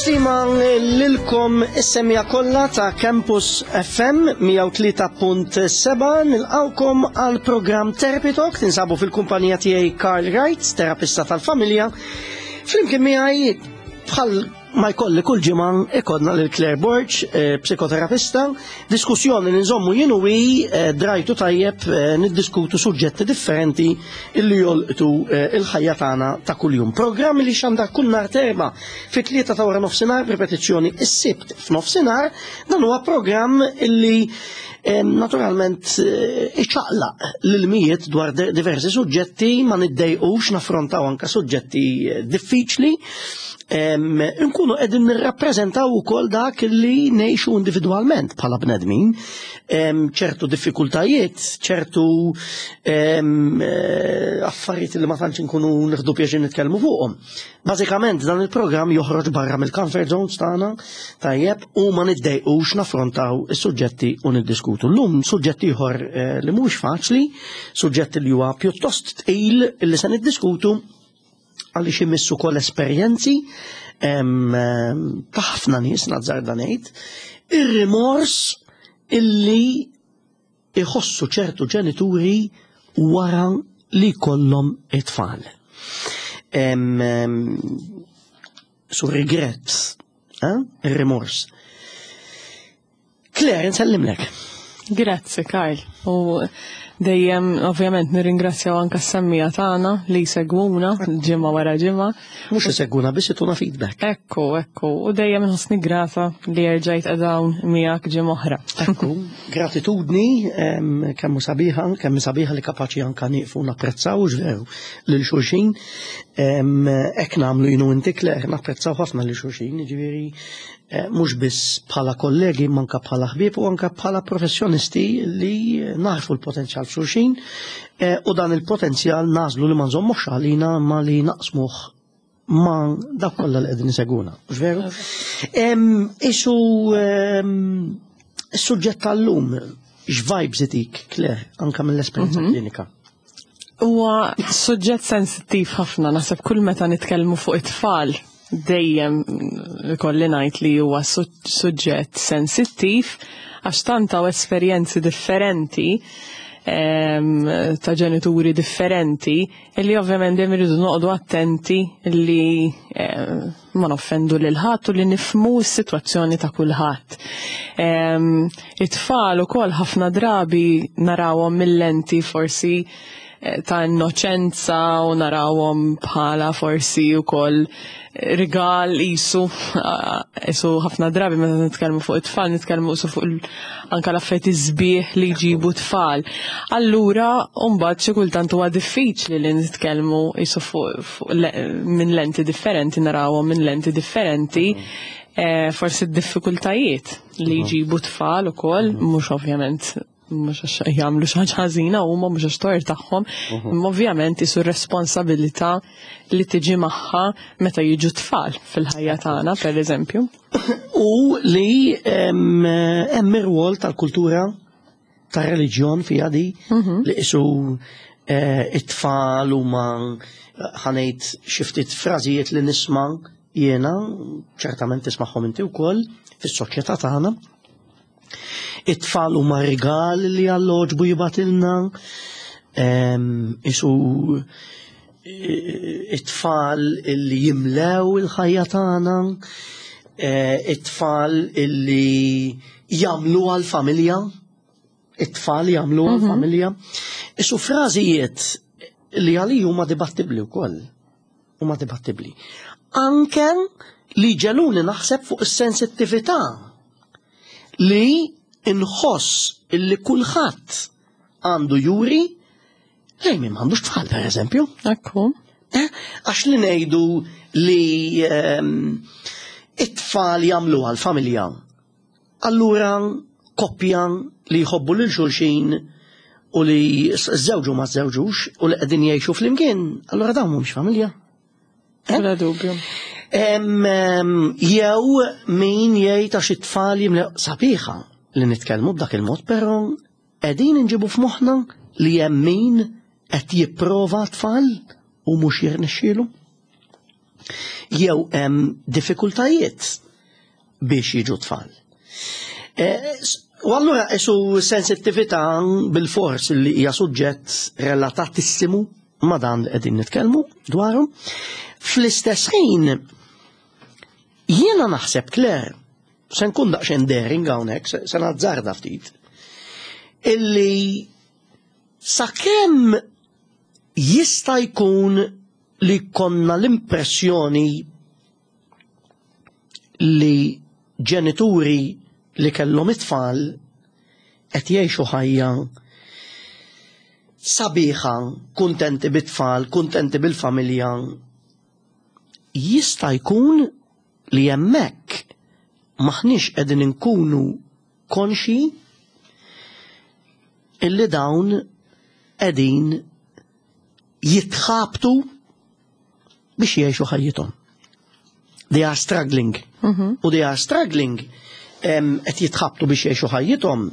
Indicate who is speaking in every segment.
Speaker 1: Stima lilkom is-semja kollha ta' Campus FM 103.7 nilqawkom għal programm Therapy Talk tinsabu fil-kumpanija tiegħi Karl Wright, terapista tal-familja. Flimkien miegħi bħal ma jkolli kull ġimgħa ikollna lil Claire Borg, eh, psikoterapista, diskussjoni li nżommu jien u hi eh, drajtu tajjeb eh, niddiskutu suġġetti differenti illi jolqtu il-ħajja tagħna ta' kuljum. Programm li xandar kull nhar terba fit-tlieta ta' wara nofsinhar b'ripetizzjoni is-Sibt f'nofsinhar, dan huwa programm illi naturalment iċaqlaq l-mijiet dwar diversi suġġetti ma niddejqux naffrontaw anka suġġetti diffiċli Nkunu qegħdin nirrappreżentaw ukoll dak li ngħixu individwalment bħala bnedmin, ċertu diffikultajiet, ċertu eh, affarijiet li ma tantx inkunu nieħdu pjaċir nitkellmu fuqhom. Bażikament dan il-programm joħroġ barra mill-comfort zones tagħna, tajjeb, u ma niddejqux naffrontaw is-suġġetti u niddiskutu. Llum suġġett ieħor eh, li mhux faċli, suġġett li huwa pjuttost tqil li se niddiskutu għaliex imissu kol esperjenzi ta' ħafna nies nazzarda ngħid, ir-rimors illi iħossu ċertu ġenituri wara li kollhom it-tfal. Su regret, eh? ir-rimors. Claire, nsellimlek.
Speaker 2: Grazzi, Karl. U dejjem, ovvjament, nirringrazzjaw anka s-semmija tagħna li jsegwuna ġimgħa wara ġimgħa.
Speaker 1: Mhux isegwuna biss ituna feedback.
Speaker 2: Ekku, ekku. U dejjem nħossni grata li erġajt qedawn miegħek ġimgħa oħra.
Speaker 1: Ekku, gratitudni kemm sabiħa, kemm sabiħa li kapaċi anka nieqfu napprezzaw veru lil xulxin. Hekk nagħmlu jien u inti Claire, napprezzaw ħafna lil xulxin, jiġifieri Eh, mhux biss bħala kollegi, imma anke bħala ħbieb u anke bħala professjonisti li naħfu l-potenzjal f'xulxin eh, u dan il-potenzjal nażlu li ma nżommux għalina ma li naqsmuh ma dak kollha li qegħdin iseguna. Mhux veru? Isu is-suġġett tal-lum x'vibes itik, Claire, anke mill-esperjenza mhm. klinika?
Speaker 2: Huwa suġġett sensittiv ħafna, naħseb kull meta nitkellmu fuq it-tfal dejjem ikolli ngħid li huwa suġġett sensittiv għax tant hawn esperjenzi differenti ehm, ta' ġenituri differenti illi ovvjament dejjem irridu noqogħdu attenti li ehm, ma noffendu lil ħadd u li nifhmu s-sitwazzjoni ta' kulħadd. Ehm, it-tfal ukoll ħafna drabi narawhom mill-lenti forsi eh, ta' innoċenza u narawhom bħala forsi wkoll rigal isu isu ħafna drabi meta nitkellmu fuq it-tfal nitkellmu isu fuq anka l-affarijiet sbieħ li jġibu tfal. Allura mbagħad xi kultant huwa diffiċli li nitkellmu isu fuq minn lenti differenti narawhom minn lenti differenti eh, forsi d-diffikultajiet li mhm. jġibu tfal ukoll mhm. mhux ovvjament mhux għax jagħmlu xi ħaġa ħażina huma mhux għax tort tagħhom, mhm. imma ovvjament isu responsabilità li tiġi magħha meta jiġu tfal fil-ħajja tagħna, pereżempju.
Speaker 1: U li hemm ir-rwol tal-kultura tar-reliġjon fiha di mhm. li isu eh, it-tfal huma ħanejt xi ftit frażijiet li nisma' jiena, ċertament tismagħhom inti wkoll fis-soċjetà tagħna. It-tfal huma rigal li Alla għoġbu jibgħatilna, isu it-tfal li jimlew il-ħajja tagħna, e, it-tfal li jagħmlu għal-familja, it-tfal jagħmlu mhm. għal-familja. Isu frażijiet li għalija huma dibattibbli wkoll. Huma dibattibbli. Anke li ġeluni naħseb fuq is-sensittività li nħoss illi kulħadd għandu juri lejn min m'għandux tfal pereżempju.
Speaker 2: Ekku.
Speaker 1: Eh, għax li ngħidu li ehm, it-tfal jagħmlu għal-familja. Allura koppja li jħobbu lil xulxin u li żewġu ma żewġux u li qegħdin jgħixu flimkien, allura dawn mhumiex familja.
Speaker 2: Eh? Bla dubju.
Speaker 1: Jew min jgħid għax it-tfal jimlew sabiħa li nitkellmu b'dak il-mod, però qegħdin inġibu f'moħħna li hemm min qed jipprova tfal u mhux jirnexxielu. Jew hemm diffikultajiet biex jiġu tfal. E, u allura isu sensittività bil-fors li hija suġġett relatatissimu ma' dan li qegħdin nitkellmu dwaru. Fl-istess ħin jiena naħseb Claire, se nkun daqsxejn daring hawnhekk, se nazzarda ftit, illi sakemm jista' jkun li konna l-impressjoni li ġenituri li kellhom it-tfal qed jgħixu ħajja sabiħa, kuntenti bit-tfal, kuntenti bil-familja, jista' jkun li hemmhekk m'aħniex qegħdin inkunu konxji illi dawn qegħdin jitħabtu biex jgħixu ħajjithom. They are struggling. Mhm. U they are struggling qed jitħabtu biex jgħixu ħajjithom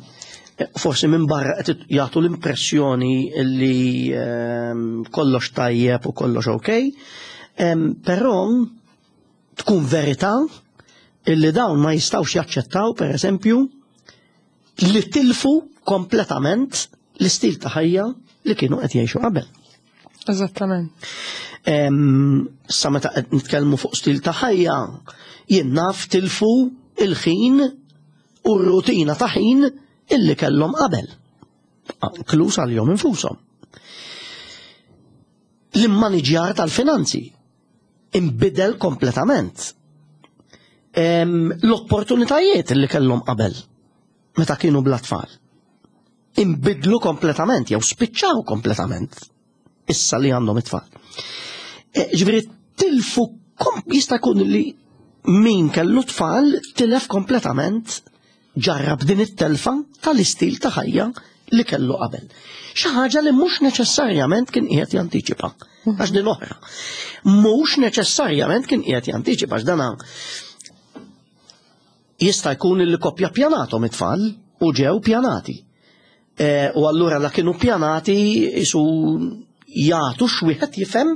Speaker 1: forsi minn barra qed jagħtu l-impressjoni li kollox tajjeb u kollox ok, però tkun verità illi dawn ma jistgħux jaċċettaw per eżempju li tilfu kompletament l-istil ta' ħajja li kienu qed jgħixu qabel.
Speaker 2: Eżattament.
Speaker 1: Sa meta qed nitkellmu fuq stil ta' ħajja, jien naf tilfu il-ħin u r-rutina ta' ħin illi kellhom qabel. Inkluż għalihom infushom. L-immaniġjar tal-finanzi imbidel kompletament. L-opportunitajiet li kellhom qabel meta kienu bla tfal imbidlu kompletament jew spiċċaw kompletament issa li għandhom it-tfal. E, ġifieri tilfu jista' jkun li min kellu tfal tilef kompletament ġarrab din it-telfa tal-istil ta' ħajja li kellu qabel. Xi ħaġa li mhux neċessarjament kien qiegħed jantiċipa. Għax din oħra. Mhux neċessarjament kien qiegħed jantiċipa għax dana jista' jkun li koppja pjanatom it-tfal u ġew pjanati. E, u allura la kienu pjanati isu jagħtu x'wieħed jifhem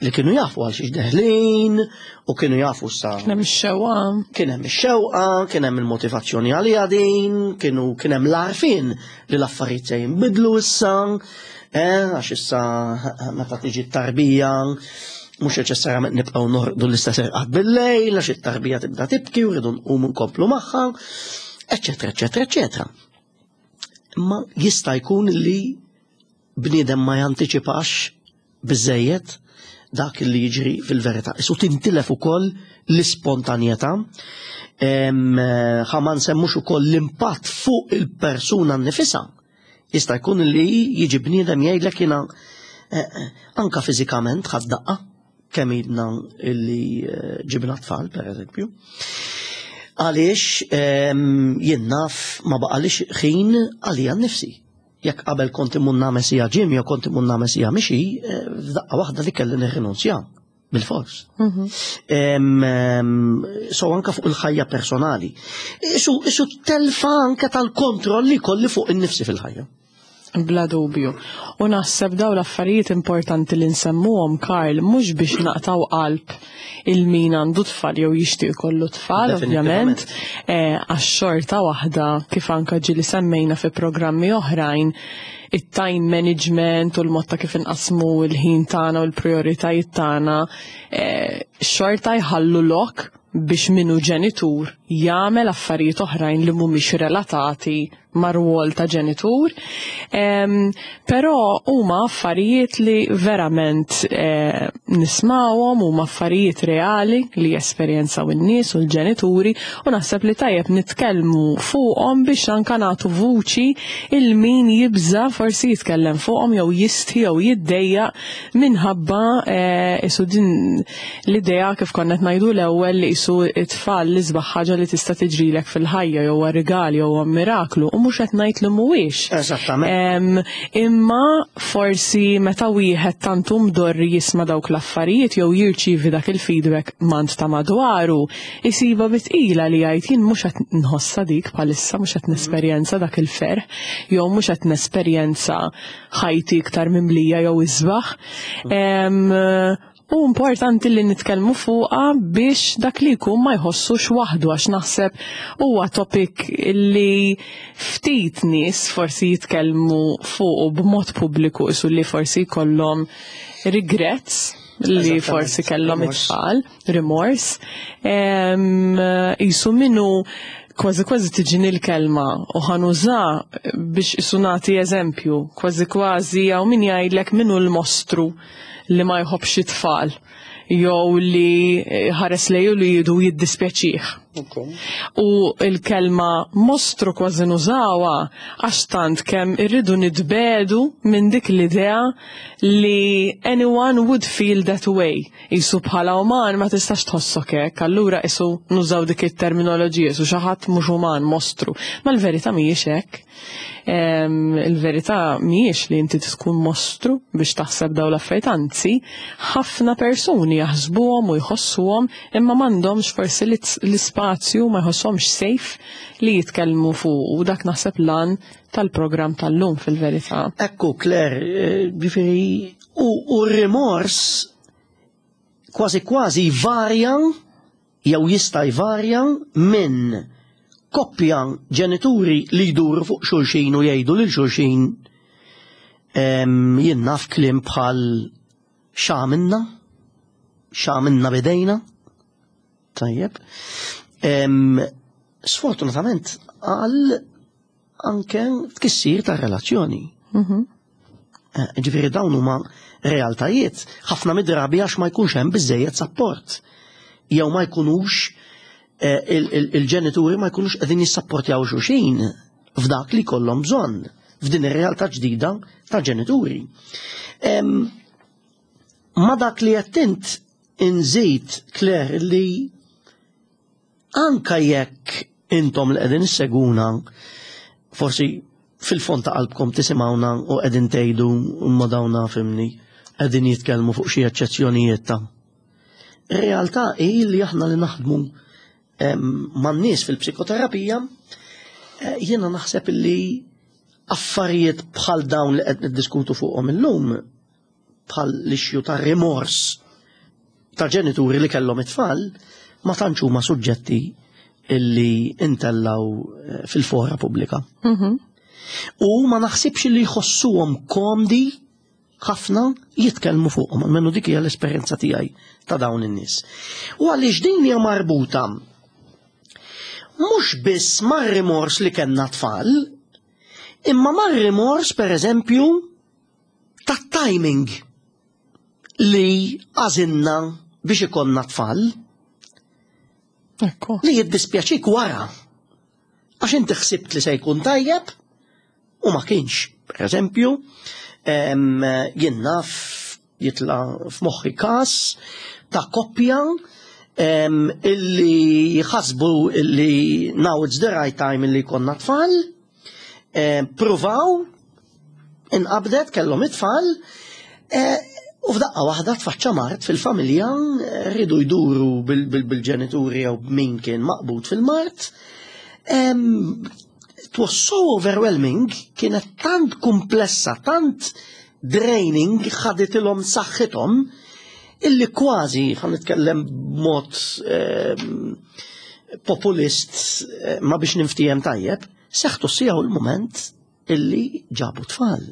Speaker 1: li kienu jafu għal xiex deħlin u kienu jafu sa.
Speaker 2: Kien hemm ix-xewqa.
Speaker 1: Kien hemm ix-xewqa, kien hemm il-motivazzjoni għaliha din, kienu kien hemm l-għarfien li l-affarijiet se jinbidlu issa, eh, għax issa meta tiġi t-tarbija mhux neċessarjament nibqgħu norqdu l-istess irqad bil-lejl għax it-tarbija tibda tibki u rridu nqumu nkomplu magħha, eċetera, eċetera, eċetera. Imma jista' jkun li bniedem ma jantiċipax biżejjed dak li jiġri fil-verità. Isu tintilef ukoll l-ispontanjetà. Ħa ma nsemmux ukoll l-impatt fuq il-persuna nnifisha. Jista' jkun li jiġi bniedem jgħidlek jiena eh, eh, anka fiżikament ħadd daqqa kemm idna illi eh, ġibna tfal, per eżempju. Għaliex jien naf ma baqalix ħin għalija nnifsi. Jekk qabel kont immur nagħmel sija gym jew kont immur nagħmel sija mixi, eh, f'daqqa waħda li kelli nirrinunzja bil-fors. Mhm. So anka fuq il-ħajja personali. Isu, isu telfa anka tal-kontroll li kolli fuq in-nifsi fil-ħajja.
Speaker 2: Bla dubju. U naħseb daw l-affarijiet importanti li nsemmuhom Karl mhux biex naqtaw qalb il-min għandu tfal jew jixtieq ikollu tfal, ovvjament, eh, għax xorta waħda kif anka ġieli semmejna fi programmi oħrajn it-time management u l-mod ta' kif inqasmu l-ħin tagħna u l-prioritajiet tagħna eh, xorta jħallu lok biex minu ġenitur jagħmel affarijiet oħrajn li mhumiex relatati mar-rwol ta' ġenitur. Però huma affarijiet li verament eh, nismawhom, huma affarijiet reali li jesperjenzaw in-nies u l-ġenituri u naħseb li tajjeb nitkellmu fuqhom biex anka nagħtu vuċi il min jibża forsi jitkellem fuqhom jew jistħi jew jiddejjaq minħabba eh, isu din L-idea kif konna qed ngħidu l-ewwel li qisu t-tfal l-isbaħ ħaġa li tista' tiġrilek fil-ħajja jew huwa rigal jew huwa miraklu u mhux qed ngħid li mhuwiex.
Speaker 1: Eżattament.
Speaker 2: Imma forsi meta wieħed tant hu mdorri jisma' dawk l-affarijiet jew jirċievi dak il-feedback m'għand ta' madwaru, isibha bi tqila li jgħid jien mhux qed nħossha dik bħalissa, mhux qed nesperjenza dak il-ferħ jew mhux qed nesperjenza ħajti iktar mimlija jew isbaħ. U importanti li nitkellmu fuqha biex dak li jkun ma jħossux waħdu, għax naħseb huwa topic li ftit nies forsi jitkellmu fuqu b'mod pubbliku, isu li forsi jkollhom regrets li forsi kellhom it-tfal, remorse. Isu minnu kważi kważi tiġini l-kelma u ħanuża biex isu nagħti eżempju, kważi kważi hawn min jgħidlek minnu l-mostru li ma jħobbx it-tfal jew li ħares lejn li jidu jiddispjaċih. U l-kelma mostru kważi nużawha għax tant kemm irridu nitbedu minn dik l-idea li anyone would feel that way. Isu bħala uman ma tistax tħossok hekk, allura isu nużaw dik it-terminoloġija, isu xi ħadd mhux uman, mostru. Ma l-verità mhijiex hekk. Il-verità mhijiex li inti tkun mostru biex taħseb dawn l-affarijiet, anzi, ħafna persuni jaħsbuhom u jħossuhom imma m'għandhomx forsi l-ispazju, ma jħossuhomx safe li jitkellmu fuq, u dak naħseb lan tal-programm tal-lum fil-verità.
Speaker 1: Ekku, Claire, ġifieri, u r-rimors kważi kważi varja jew jista' jvarja minn koppja ġenituri li jduru fuq xulxin u jgħidu lil xulxin jien naf kliem bħal x'għamilna, x'għamilna bidejna. Tajjeb. Sfortunatament għal anke tkissir ta' relazzjoni. Ġifieri dawn huma realtajiet ħafna mid-drabi għax ma jkunx hemm biżejjed sapport. Jew ma jkunux il-ġenituri ma jkunux qegħdin jissapportjaw xulxin f'dak li jkollhom bżonn f'din ir-realtà ġdida ta' ġenituri. Ma dak li qed int inżid, Claire, li anka jekk intom li qegħdin isseguna forsi fil-fond ta' qalbkom tisimgħuna u qegħdin tgħidu imma dawna fimni qegħdin jitkellmu fuq xi eċċezzjonijiet ta'. Ir-realtà hi li aħna li naħdmu man-nies fil-psikoterapija, jiena naħseb li affarijiet bħal dawn li qed niddiskutu fuqhom illum, bħal l-issue ta' rimors ta' ġenituri li kellhom it-tfal, ma tantx huma suġġetti illi intellaw fil-fora pubblika. U ma naħsibx li jħossuhom komdi ħafna jitkellmu fuqhom, almenu dik hija l-esperjenza tiegħi ta' dawn in-nies. U għaliex din hija marbuta mhux biss mar-rimors li kellna tfal, imma mar-rimors pereżempju tat-timing li għażilna biex ikollna tfal. Li jiddispjaċik wara. Għax inti ħsibt li se jkun tajjeb u ma kienx. Per eżempju, jien naf jitla f'moħħi każ ta' koppja illi ħasbu illi now it's the right time illi jkollna tfal, pruvaw, inqabdet, kellhom it-tfal, u f'daqqa waħda tfaċċa mard fil-familja, rridu jduru bil-ġenituri jew min kien maqbud fil-mard. It was so overwhelming, kienet tant komplessa, tant draining, ħaditilhom saħħithom, illi kważi, ħa nitkellem b'mod populist, ma biex ninftiehem tajjeb, seħtu s-siegħa u l-moment illi ġabu tfal.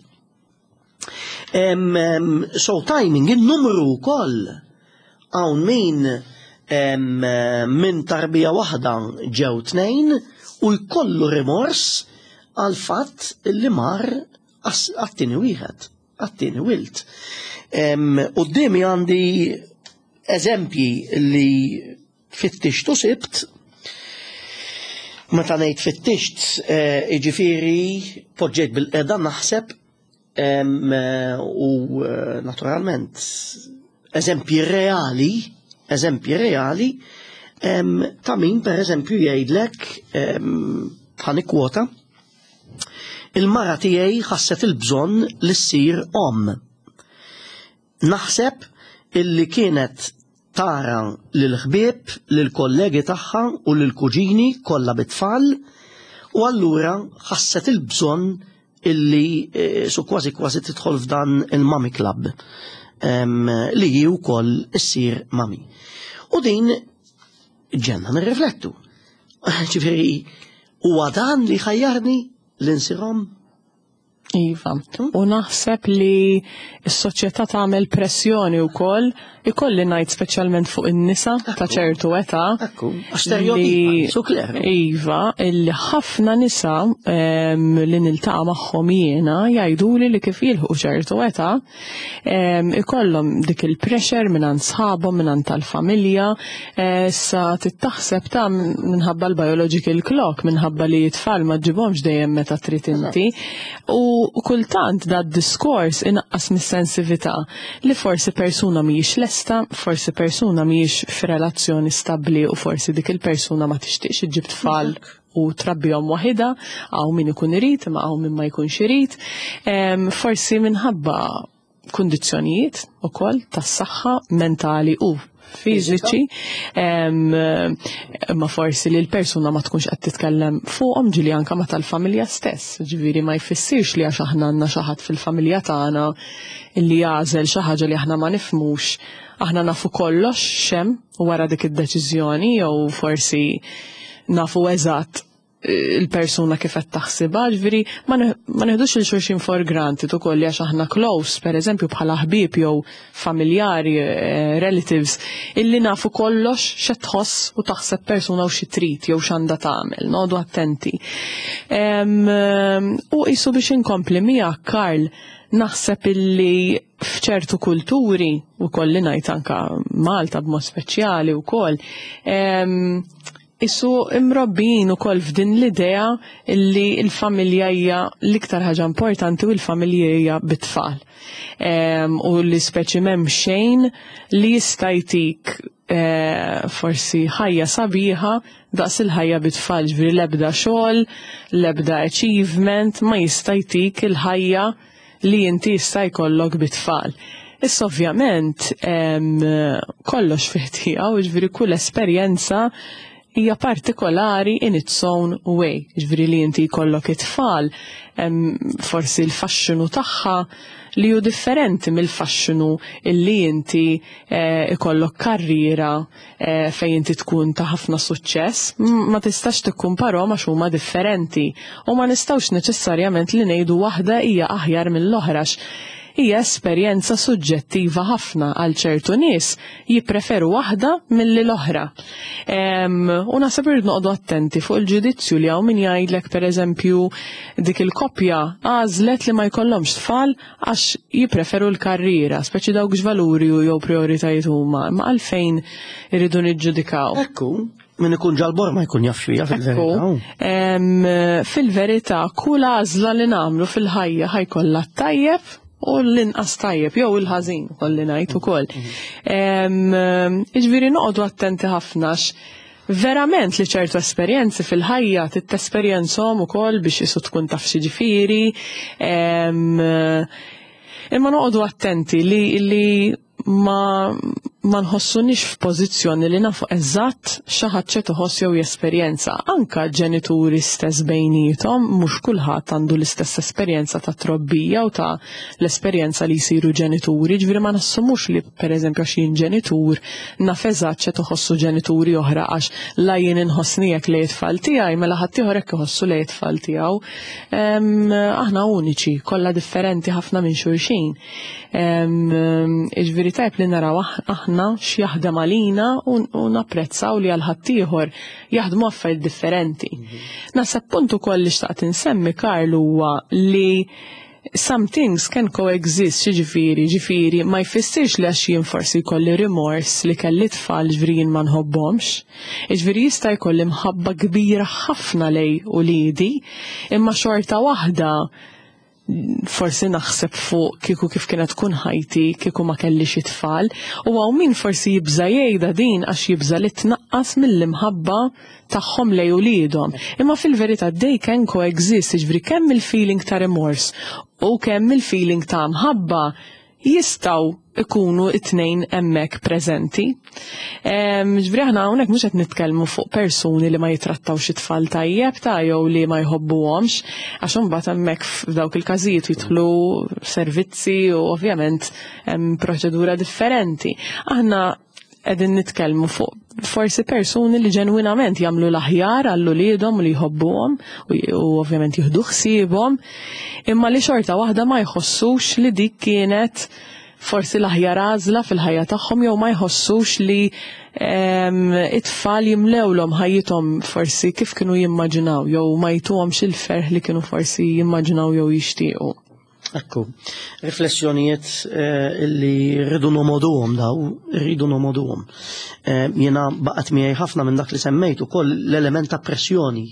Speaker 1: So timing, il-numru wkoll hawn min minn tarbija waħda ġew tnejn u jkollu rimors għal fatt li mar għat-tieni wieħed, għat-tieni wild. Quddiemi għandi eżempji li fittixtu sibt. Meta ngħid fittixt, jiġifieri poġġejt bil-qeda naħseb, u naturalment eżempji reali, eżempji reali ta' min per eżempju jgħidlek, ħa nikkwota, il-mara tiegħi ħasset il-bżonn li ssir omm. Naħseb illi kienet tara lil-ħbieb, lil-kollegi tagħha u lil-kuġini kollha bit-tfal, u allura ħasset il-bżonn illi su kważi kważi tidħol f'dan il-mommy club. li hi wkoll issir mami. U din ġenna nirriflettu. Ġifieri huwa dan li ħajjarni li nsir omm?
Speaker 2: Iva, u naħseb li s-soċjetà tagħmel pressjoni wkoll, ikolli ngħid speċjalment fuq in-nisa ta' ċertu età.
Speaker 1: Ekku, stereotipa,
Speaker 2: Iva, illi ħafna nisa li niltaqa' magħhom jiena jgħiduli li kif jilħqu ċertu età ikollhom dik il-pressure mingħand sħabhom, mingħand tal-familja, sa tittaħseb ta' minħabba l-biological clock, minħabba li t-tfal ma ġġibhomx dejjem meta trid inti. U kultant da diskors inaqqas mis-sensività li forsi persuna mhijiex lesta, forsi persuna mhijiex f'relazzjoni stabbli u forsi dik il-persuna ma tixtieqx iġġib tfal u trabbihom waħidha, hawn min ikun irid imma hawn min ma jkunx irid. Forsi minħabba kundizzjonijiet ukoll tas-saħħa mentali u fiżiċi, imma forsi li l-persuna ma tkunx qed titkellem fuqhom ġieli anke ma tal-familja stess. Ġifieri ma jfissirx li għax aħna għandna xi ħadd fil-familja tagħna li jagħżel xi ħaġa li aħna ma nifhmux, aħna nafu kollox x'hemm wara dik id-deċiżjoni jew forsi nafu eżatt il-persuna kif qed taħsibha, ġifieri ma neħdux lil xulxin for granted ukoll li għax aħna close, pereżempju bħala ħbieb jew familjari, relatives, illi nafu kollox x'qed tħoss u taħseb persuna u xi trid jew x'għandha tagħmel, noqogħdu attenti. U qisu biex inkompli miegħek Karl, naħseb illi f'ċertu kulturi, u kolli ngħid anka Malta b'mod speċjali wkoll, isu imrobbijin ukoll f'din l-idea li l-familja hija l-iktar ħaġa importanti u l-familja hija bit-tfal. U li speċi m'hemm xejn li jista' jtik forsi ħajja sabiħa daqs il-ħajja bit-tfal, ġifieri l-ebda xogħol, l-ebda achievement ma jista' jtik il-ħajja li inti jista' jkollok bit-tfal. Issa ovvjament kollox fih tiegħu, ġifieri kull esperjenza hija partikolari in its own way. Ġifieri li inti jkollok it-tfal, forsi l-faxxinu tagħha li hu differenti mill-faxxinu illi inti ikollok karriera fejn inti tkun ta' ħafna suċċess. Ma tistax tikkumparhom għax huma differenti. U ma nistgħux neċessarjament li ngħidu waħda hija aħjar mill-oħra hija esperjenza suġġettiva ħafna għal ċertu nies jippreferu waħda milli l-oħra. U naħseb irrid noqogħdu attenti fuq il-ġudizzju li hawn min jgħidlek pereżempju dik il-koppja għażlet li ma jkollhomx tfal għax jippreferu l-karriera, speċi dawk x'valuri jew prioritajiet huma, imma għalfejn irridu niġġudikaw.
Speaker 1: Ekku, min ikun ġal-bor ma jkun jaf x'hija fil-verità.
Speaker 2: Fil-verità, kull għażla li nagħmlu fil-ħajja ħajkollha tajjeb u l-inqas tajjeb, jew il-ħażin, kolli ngħid ukoll. Jiġifieri noqogħdu attenti ħafna verament li ċertu esperjenzi fil-ħajja titesperjenzhom ukoll biex isu tkun taf xi ġifieri. Imma noqogħdu attenti li ma nħossunix f'pożizzjoni li nafu eżatt xi ħadd xi tħoss jew jesperjenza. Anka ġenituri stess bejniethom mhux kulħadd għandu l-istess esperjenza ta' trobbija u ta' l-esperjenza li jsiru ġenituri, ġifieri ma nassumux li pereżempju għax jien ġenitur naf eżatt xi tħossu ġenituri oħra għax la jien inħossni hekk lejn it-tfal tiegħi mela ħaddieħor hekk iħossu lejn it-tfal tiegħu. Aħna uniċi, kollha differenti ħafna minn xulxin. Iġviri tajb li naraw aħna x'jaħdem għalina u napprezzaw li għal ħaddieħor jaħdmu affarijiet differenti. Naħseb punt ukoll li xtaqt insemmi Karl huwa li some things can coexist, ġifieri, ġifieri ma jfissirx li għax jien forsi jkolli remorse li kelli tfal ġifieri jien ma nħobbhomx. Ġifieri jista' jkolli mħabba kbira ħafna lejn uliedi, imma xorta waħda forsi naħseb fuq kieku kif kienet tkun ħajti kieku ma kellix it-tfal u hawn min forsi jibża jgħidha din għax jibża li tnaqqas mill-imħabba tagħhom lejn uliedhom. Imma fil-verità they can coexist, jiġifieri kemm il-feeling ta' remorse u kemm il-feeling ta' mħabba jistgħu ikunu it-tnejn hemmhekk preżenti. Ġifieri aħna hawnhekk mhux qed nitkellmu fuq persuni li ma jitrattawx it-tfal tajjeb ta' jew li ma jħobbuhomx, għax imbagħad hemmhekk f'dawk il-każijiet jidħlu servizzi u ovvjament hemm proċedura differenti. Aħna qegħdin nitkellmu fuq forsi persuni li ġenwinament jagħmlu l-aħjar għal uliedhom u li jħobbuhom u ovvjament jieħdu ħsiebhom, imma li xorta waħda ma jħossux li dik kienet forsi l-aħjar għażla fil-ħajja tagħhom jew ma jħossux li it-tfal jimlewlhom ħajjithom forsi kif kienu jimmaġinaw jew ma jtuhomx il-ferħ li kienu forsi jimmaġinaw jew jixtiequ.
Speaker 1: Ekku, riflessjonijiet eh, li rridu nomoduhom daw, rridu nomoduhom. Eh, jiena baqgħet miegħi ħafna minn dak li semmejt ukoll l-element ta' pressjoni.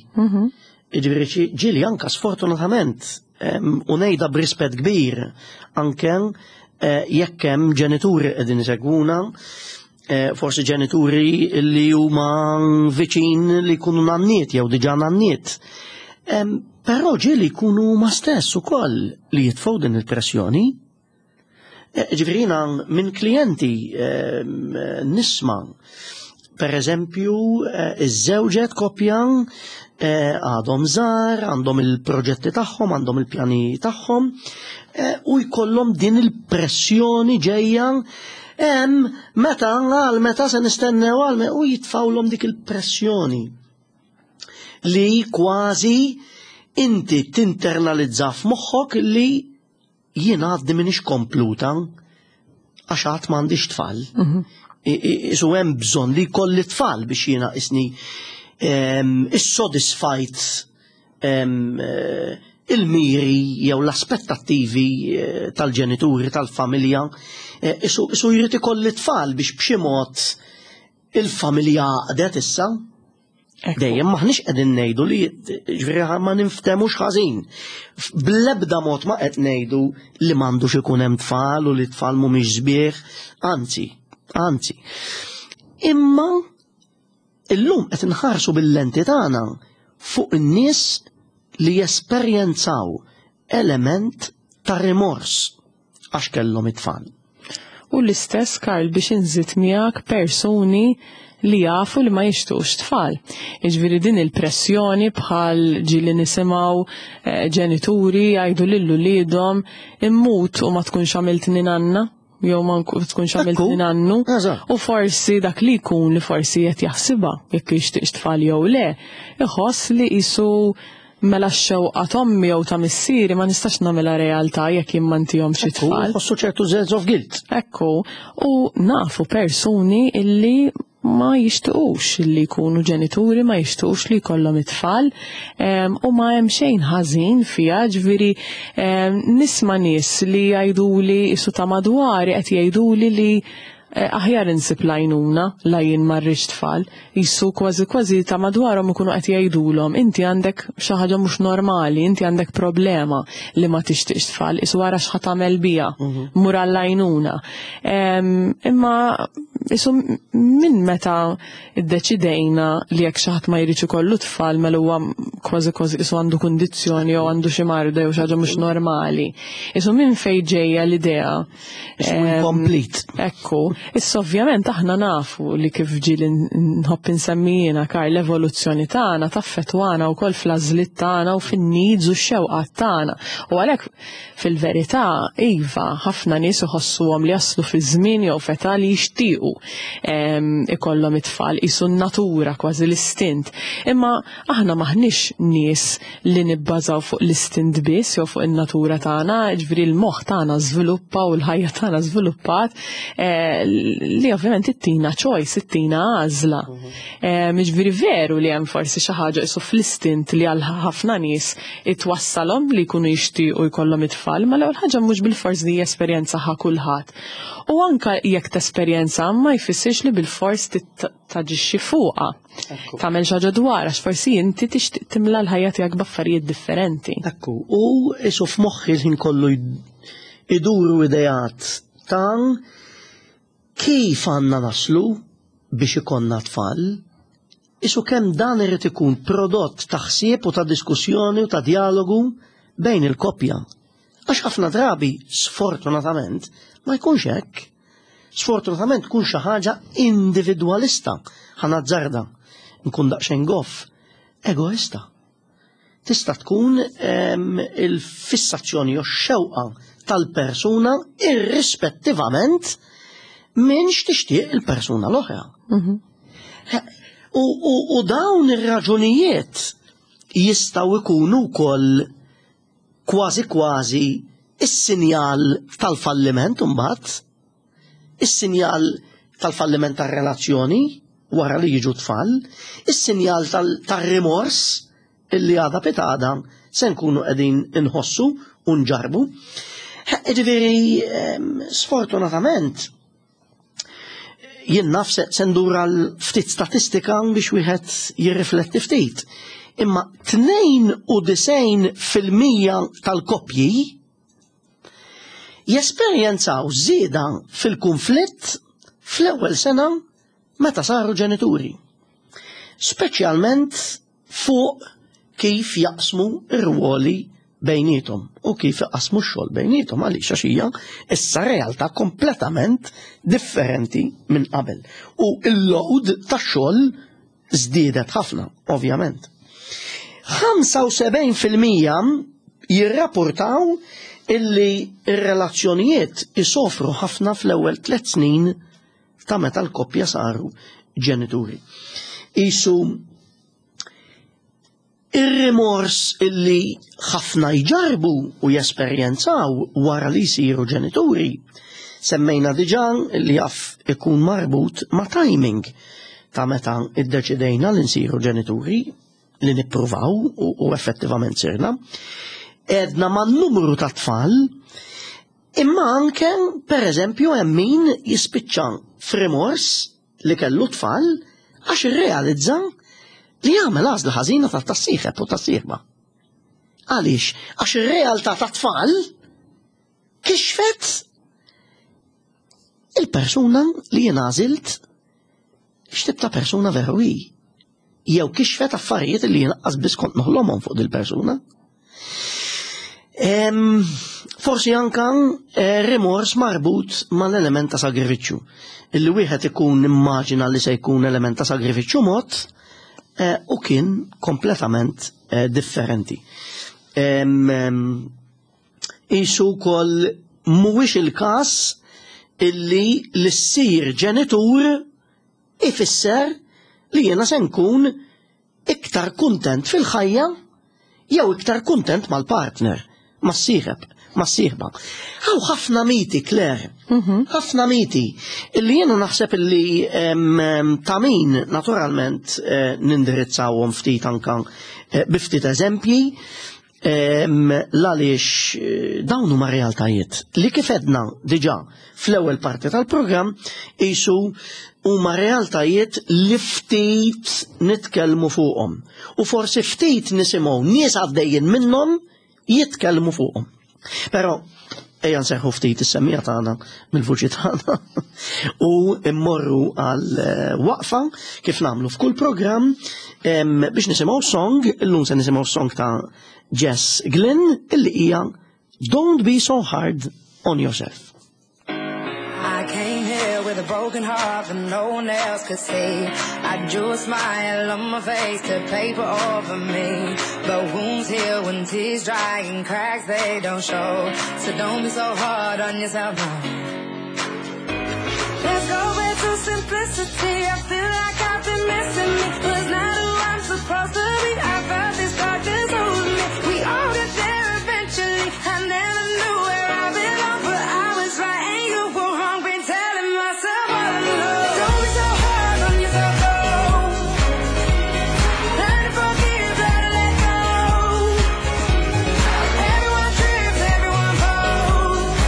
Speaker 1: Jiġifieri ġieli anka sfortunatament u ngħidha b'rispett kbir anke eh, jekk hemm ġenituri qegħdin isegwuna, forsi ġenituri li huma viċin li jkunu nanniet jew diġà nanniet. Però ġieli jkunu huma stess ukoll li jitfgħu din il-pressjoni. Eh, ġifieri jiena minn klijenti nisma' per eżempju eh, iż-żewġet koppja eh, għadhom żgħar, għandhom il-proġetti tagħhom, għandhom il-pjani tagħhom u jkollhom din il-pressjoni ġejja hemm meta għal meta se nistennew għal u jitfawlhom dik il-pressjoni li kważi inti tinternalizza f'moħħok li jien għadni minix kompluta għax għad m'għandix tfal. Mhm. Isu hemm bżonn li jkolli tfal biex jiena isni ehm, issodisfajt ehm, eh, il-miri jew l-aspettattivi eh, tal-ġenituri tal-familja. Eh, isu jrid ikolli tfal biex b'xi mod il-familja għaqdet issa. Dejjem maħniex qegħdin ngħidu li ġifieri ma ninftemux ħażin. Bl-ebda mod ma qed ngħidu li m'għandux ikun hemm tfal u li tfal mhumiex sbieħ, anzi, anzi. Imma illum qed inħarsu bil-lenti tagħna fuq in-nies li jesperjenzaw element ta' rimors għax kellhom it-tfal.
Speaker 2: U l-istess Karl biex inżid miegħek persuni li jafu li ma jixtuqx tfal. Jiġifieri din il-pressjoni bħal ġieli nisimgħu eh, ġenituri jgħidu lil uliedhom immut u ma tkunx għamiltni nanna jew ma tkunx għamiltni nannu. U forsi dak li jkun li forsi qed jaħsibha jekk jixtieqx tfal jew le, iħoss li qisu Mela x-xewqa t'ommi jew ta' missieri ma nistax nagħmilha realtà jekk jien ma ntihomx it-tfal.
Speaker 1: Ħossu ċertu sense of guilt.
Speaker 2: Ekku, u nafu persuni illi ma jixtiqux li jkunu ġenituri, ma jixtiqux li jkollhom it-tfal, u ma hemm xejn ħażin fiha, ġifieri nisma' nies li jgħiduli isu ta' madwari qed jgħiduli li eh, aħjar insib l-għajnuna la jien ma rridx tfal. Qisu kważi kważi ta' madwarhom ikunu qed jgħidulhom inti għandek xi ħaġa mhux normali, inti għandek problema li ma tixtieqx tfal, qisu ara x'ħa tagħmel biha, mhm. mur għall-għajnuna. Imma qisu minn meta iddeċidejna li jekk xi ħadd ma jridx ikollu tfal mela huwa kważi kważi qisu għandu kundizzjoni jew għandu xi marda jew xi ħaġa mhux normali. Qisu minn fejn ġejja l-idea
Speaker 1: Complete.
Speaker 2: Ekku, issa ovvjament aħna nafu li kif ġieli nħobb insemmi jiena Karl l-evoluzzjoni tagħna taffettwana wkoll fl-għażliet tagħna u fin-needs u x-xewqat tagħna. U għalhekk fil-verità iva ħafna nies iħossuhom li jaslu fi żmien jew f'età li jixtiequ ikollhom it-tfal qisu n-natura kważi l-istint. Imma aħna m'aħniex nies li nibbażaw fuq l-istint biss jew fuq in-natura tagħna, ġifieri l-moħħ tagħna żviluppa u l-ħajja tagħna żviluppat eh, li ovvjament ittina choice, ittina għażla. Mhm. Eh, ġifieri veru li hemm forsi xi ħaġa isu fl-istint li għal ħafna nies itwassalhom li jkunu jixtiequ jkollhom it-tfal, ma l-ewwel ħaġa mhux bil-fors li esperjenza ħa kulħadd. U anka jekk tesperjenza ma jfissirx li bil-fors taġixxi fuqha. Tagħmel xi ħaġa dwar għax forsi inti tixtieq timla l-ħajja tiegħek b'affarijiet differenti.
Speaker 1: Ekku, u isu f'moħħi l-ħin kollu iduru ideat ta' kif għandna naslu biex ikollna tfal, isu kemm dan irid ikun prodott ta' ħsieb u ta' diskussjoni u ta' dialogu bejn il-koppja. Għax ħafna drabi, sfortunatament, ma jkunx hekk. Sfortunatament tkun xi ħaġa individwalista, ħa nazzarda, nkun daqsxejn goff, egoista. Tista' tkun il-fissazzjoni jew xewqa tal-persuna irrispettivament minn x'tixtieq il-persuna l-oħra. U dawn ir-raġunijiet jistgħu jkunu wkoll kważi kważi is-sinjal tal-falliment imbagħad, is-sinjal tal-falliment tar-relazzjoni wara li jiġu tfal, is-sinjal tar-rimors illi għada pitgħada se nkunu qegħdin inħossu u nġarbu. Ġifieri, sfortunatament, jien naf se ndur għal ftit statistika biex wieħed jirrifletti ftit. Imma 92% tal-koppji jesperjenzaw żieda fil-kunflitt fl-ewwel sena meta saru ġenituri. Speċjalment fuq kif jaqsmu r-rwoli bejnietom u kif jaqsmu x-xogħol bejnietom, għaliex għax hija issa realtà kompletament differenti minn qabel. U l-load tax-xogħol żdiedet ħafna, ovvjament. 75% jirrapportaw illi r-relazzjonijiet isofru ħafna fl-ewwel 3 snin ta' meta l-koppja saru ġenituri. Isu ir-rimors illi ħafna jġarbu u jesperjenzaw wara li jsiru ġenituri, semmejna diġà li jaf ikun marbut ma' timing ta' meta iddeċidejna li nsiru ġenituri, li nippruvaw u effettivament sirna. Edna ma' numru ta' tfal, imma anke, per eżempju, hemm min jispiċċa f'rimors li kellu tfal għax irrealizza li jagħmel għażla ħażina ta' tas-sieħeb u tas-sieħba. Għaliex? Għax ir-realtà ta' tfal kixfet il-persuna li jien għażilt x'tip ta' persuna veru hi. Jew kixfet affarijiet li jien qas biss kont noħlomhom fuq dil-persuna. Forsi anka rimors marbut mal-element ta' sagrifiċċju. Illi wieħed ikun immaġina li se jkun element ta' sagrifiċċju mod u kien kompletament differenti. Isu wkoll mhuwiex il-każ illi l-issir ġenitur ifisser li jiena se nkun iktar kuntent fil-ħajja jew iktar kuntent mal-partner, mas-sieħeb, mas-sieħba. Hawn ħafna miti, Claire, ħafna miti, illi jiena naħseb illi ta' min naturalment nindirizzawhom ftit anka bi ftit eżempji, l-għaliex dawn huma realtajiet li kif edna diġà fl-ewwel parti tal-programm isu huma realtajiet li ftit nitkellmu fuqhom u forsi ftit nisimgħu nies għaddejjin minnhom jitkellmu fuqhom. Però ejja nserħu ftit is-semmija tagħna mill-vuċi tagħna u mmorru għal waqfa kif nagħmlu f'kull programm biex nisimgħu song, illum se nisimgħu song ta' Jess Glynne illi hija Don't Be So Hard on Yourself.
Speaker 3: I came here with a broken heart that no one else could see. I drew a smile on my face to paper over me. But wounds heal when tears dry and cracks they don't show. So don't be so hard on yourself now. Let's go back to simplicity. I feel like I've been missing me. Was not who I'm supposed to be. I felt this darkness over me. We all get there eventually. I never knew where I belong, but I was right and you were wrong. Been telling myself all along. Don't be so hard on yourself, though. Learn to forgive, learn to let go. Everyone trips, everyone falls.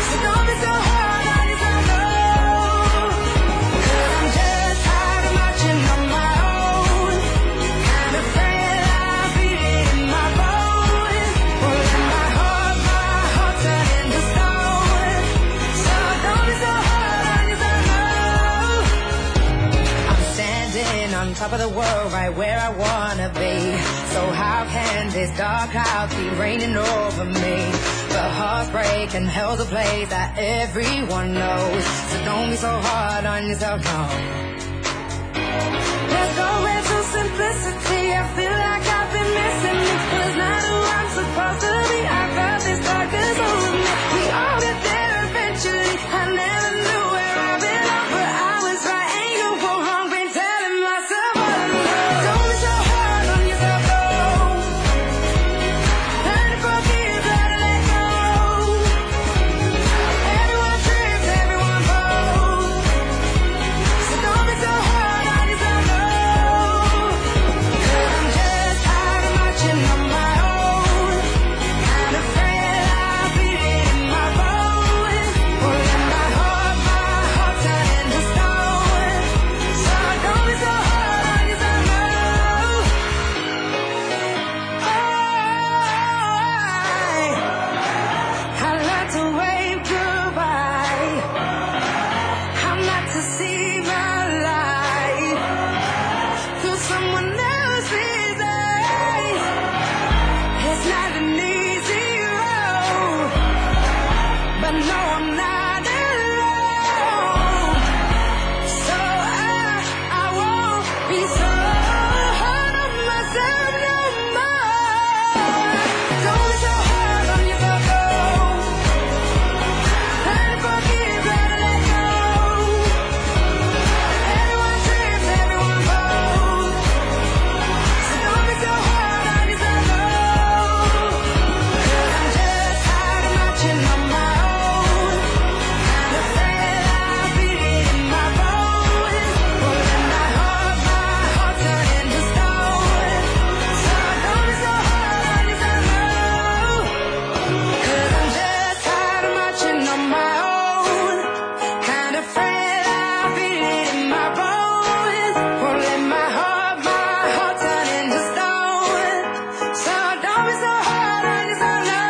Speaker 3: So don't be so hard on yourself, though. 'Cause I'm just tired of marching on my own. Kinda frail, I feel it in my bones. Won't let my heart turn into stone. So don't be so hard on yourself, no. I'm standing on top of the world, right where I wanna be. So how can this dark cloud keep raining over me? But Heartbreak and hell's a place that everyone knows. So don't be so hard on yourself, no. Let's go back to simplicity. I feel like I've been missing me. Was not who I'm supposed to be. I felt this darkness over me. We all get there eventually. I never knew where I belong, but I was right and you were wrong. Been telling myself all along. Don't be so hard on yourself, though. Learn to forgive, learn to let go. Everyone trips, everyone falls. So don't be so hard on yourself, no. 'Cause I'm just tired of marching on my own. Kinda afraid I feel it in my bones. Pulling my heart turning to stone. So don't be so hard on yourself, no. Oh, I learned to wave goodbye. How not to see my life through someone else's eyes. It's not an easy road, but no, I'm not alone. So I won't be so hard on myself no more. Don't be so hard on yourself, though. Learn to forgive, learn to let go. Everyone trips, everyone falls. So don't be so hard on yourself, no. 'Cause I'm just tired of marching on my own. Kinda afraid I feel it in my bones. Pulling my heart turning to stone. So don't be so hard on yourself, no. 'Cause I'm just tired of marching on my own. Kinda afraid I feel it in my bones. Pulling my heart turning to stone. So don't be so hard on yourself, no.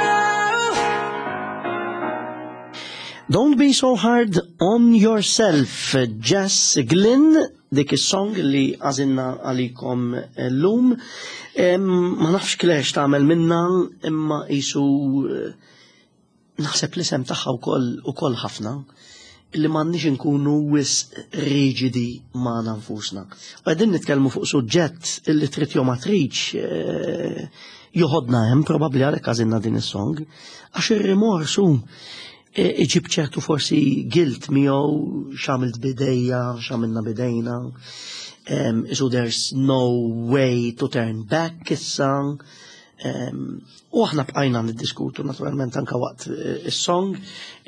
Speaker 1: Don't be so hard on yourself, Jess Glynn, dik is-song li għażilna għalikom l-lum. Ma nafx Claire tagħmel minna, imma jisu naħseb l-isem tagħha wkoll ħafna li m'għandniex inkunu wisq riġidi magħna nfusna. U qegħdin nitkellmu fuq suġġett illi trid jew ma tridx joħodna hemm, probabbli għalhekk għażilna din is-song, għax ir-rimorsu iġib ċertu forsi guilt miegħu, x'għamilt bidejja, x'għamilna bidejna. So there's no way to turn back issa. U aħna bqajna niddiskutu naturalment anka waqt is-song,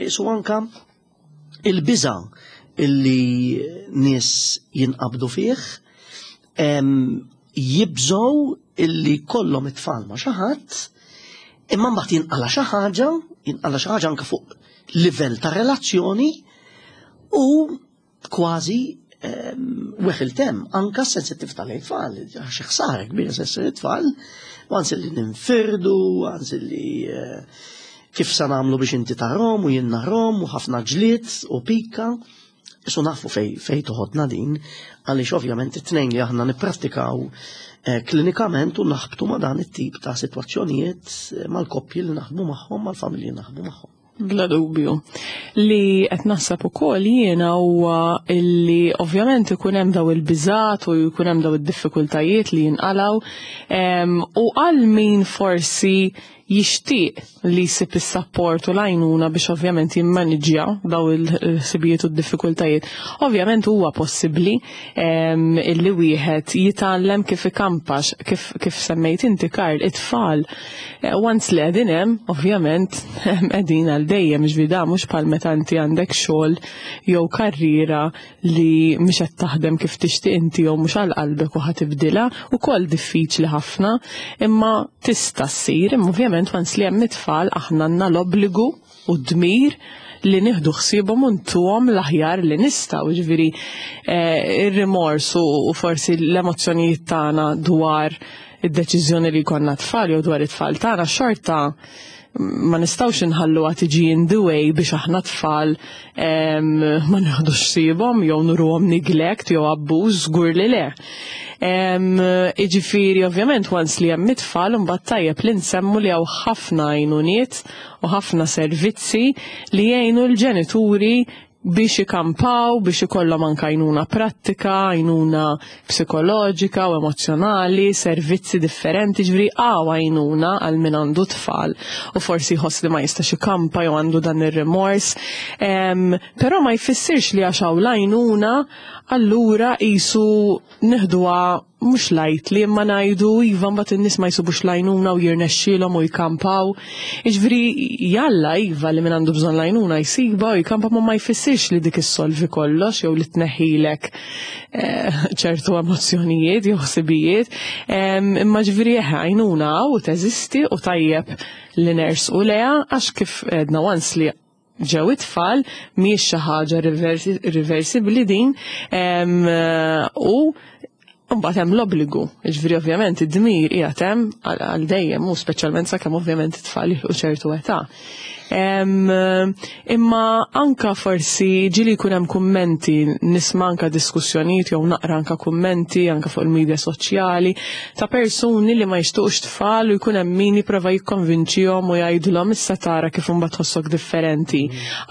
Speaker 1: so anka il-biża illi nies jinqabdu fih, jibżgħu illi kollhom it-tfal ma' xi ħadd, imma mbagħad jinqala xi ħaġa, jinqala xi ħaġa anka fuq livell ta' relazzjoni u kważi weħil tem anka sensittiv tal-tfal, għax ħsara kbira sessir it-tfal, u għansi li ninfirdu, għansi li kif sa nagħmlu biex inti tarahom u jien narahom u ħafna ġlied u pika. Isu nafu fej toħodna din, għaliex ovvjament it-tnejn li aħna nipprattikaw klinikament u naħbtu ma' dan it-tip ta' sitwazzjonijiet mal-koppji li naħdmu magħhom, mal-familji li naħdmu magħhom.
Speaker 2: Bla dubju. Li qed naħseb ukoll jiena huwa illi ovvjament ikun hemm daw il-biżat u jkun hemm daw id-diffikultajiet li jinqalgħu, u għal min forsi jixtieq li jsib is-sapport u l-għajnuna biex ovvjament jimmaniġġja daw il-ħsibijiet u d-diffikultajiet. Ovvjament huwa possibbli illi wieħed jitgħallem kif ikampax, kif semmejt inti Karl, it-tfal. Once li qegħdin hemm, ovvjament qegħdin għal dejjem, ġifieri da mhux bħal meta inti għandek xogħol jew karriera li mhix qed taħdem kif tixtieq inti jew mhux għal qalbek u ħatibdilha, ukoll diffiċli ħafna, imma tista' ssir, imma ovvjament once li hemm it-tfal aħna għandna l-obbligu u d-dmir li nieħdu ħsiebhom u ntuhom l-aħjar li nistgħu, ġifieri ir-rimors u forsi l-emozzjonijiet tagħna dwar id-deċiżjoni li jkollna tfal jew dwar it-tfal tagħna, xorta ma nistgħux inħalluha tiġi in the way biex aħna tfal ma nieħdux ħsiebhom jew nuruhom neglect jew abbuż, żgur li le. Iġifieri ovvjament once li hemm it-tfal, imbagħad tajjeb li nsemmu li hawn ħafna għajnuniet u ħafna servizzi li jgħinu l-ġenituri biex ikampaw, biex ikollhom anke għajnuna prattika, għajnuna psikoloġika u emozjonali, servizzi differenti, ġifieri hawn għajnuna għal min għandu tfal u forsi jħoss li ma jistax ikampa jew għandu dan ir-rimors. Però ma jfissirx li għax hawn l-għajnuna allura qisu nieħduha mhux lightly, imma ngħidu iva, mbagħad in-nies ma jsibux l-għajnuna u jirnexxielhom u jkampaw. Jiġifieri jalla iva li min għandu bżonn l-għajnuna jsibha u jkampa, ma ma jfissirx li dik issolvi kollox jew li tneħħilek ċertu emozzjonijiet jew ħsibijiet. Imma ġifieri eħe, għajnuna u teżisti u tajjeb li nersqu leha, għax kif għedna, once li ġew it-tfal mhijiex xi ħaġa reversibbli din, u mbagħad hemm l-obbligu. Jiġifieri ovvjament id-dmir qiegħed hemm għal dejjem, u speċjalment sakemm ovvjament it-tfal jilħqu ċertu età. Imma anka forsi ġieli jkun hemm kummenti, nisma' anka diskussjonijiet jew naqra anka kummenti anka fuq il-medja soċjali ta' persuni li ma jixtuqx tfal u jkun hemm min jipprova jikkonvinċihom u jgħidulhom issa tara kif imbagħad tħossok differenti.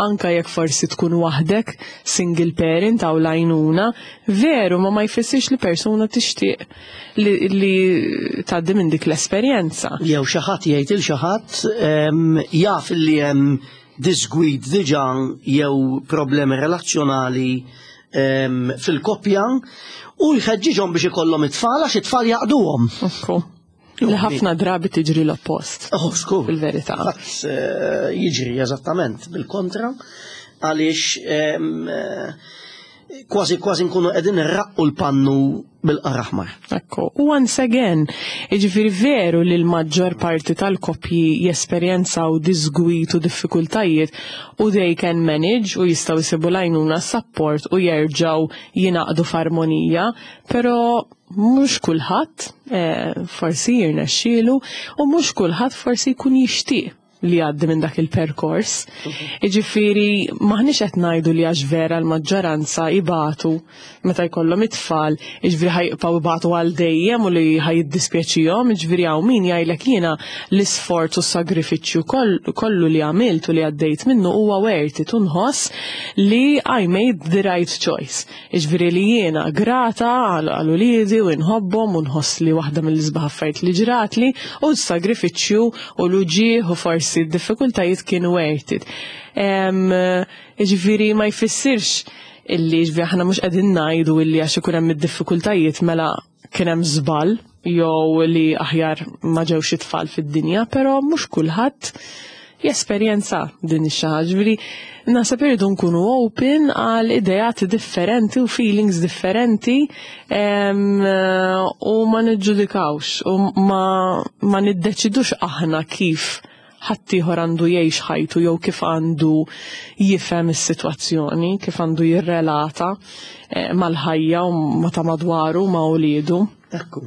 Speaker 2: Anka jekk forsi tkun waħdek, single parent aw l-għajnuna, veru, ma ma jfissirx li persuna tixtieq li tgħaddi minn dik l-esperjenza.
Speaker 1: Jew xi ħadd jgħid il xi ħadd jaf li hemm disgwid diġà jew problemi relazzjonali fil-koppja u jħeġġiġhom biex ikollhom it-tfal għax it-tfal jaqduhom.
Speaker 2: Ekku. Li ħafna drabi tiġri l-oppost.
Speaker 1: Oh, skur.
Speaker 2: Fil-verità.
Speaker 1: Fatt, jiġri eżattament bil-kontra, għaliex kważi kważi nkunu qegħdin irraqqu l-pannu bil-qaraħmar.
Speaker 2: Ekku, u once again, jiġifieri veru li l-maġġor parti tal-koppji jesperjenzaw disgwit u diffikultajiet u they can manage u jistgħu jsibu l-għajnuna, support u jerġgħu jingħaqdu f'armonija, però mhux kulħadd forsi jirnexxielu u mhux kulħadd forsi jkun jixtieq li għaddi minn dak il-perkors. Jiġifieri maħniex qed ngħidu li għax vera l-maġġoranza ibatu meta jkollhom it-tfal, jiġifieri ħa jibqgħu ibatu għal dejjem u li ħa jiddispjaċihom, jiġifieri hawn min jgħidlek jiena l-isforz u s-sagrifiċċju kollu li għamilt u li għaddejt minnu huwa worth it u nħoss li I made the right choice. Jiġifieri li jiena grata għal uliedi u nħobbhom u nħoss li waħda mill-isbaħ affarijiet li ġratli u s-sagrifiċċju u l-uġigħ u forsi d-diffikultajiet kienu worth it. Jiġifieri ma jfissirx illi ġifieri aħna mhux qegħdin ngħidu illi għax ikun hemm id-diffikultajiet mela kien hemm żball jew li aħjar ma ġewx it-tfal fid-dinja, però mhux kulħadd jesperjenza din ix-xi ħaġa. Ġifieri naħseb irridu nkunu open għal ideat differenti u feelings differenti u ma niġġudikawx u ma niddeċidux aħna kif ħaddieħor għandu jgħix ħajtu jew kif għandu jifhem is-sitwazzjoni, kif għandu jirrelata mal-ħajja u ma ta' madwaru, ma' uliedu.
Speaker 1: Ekku.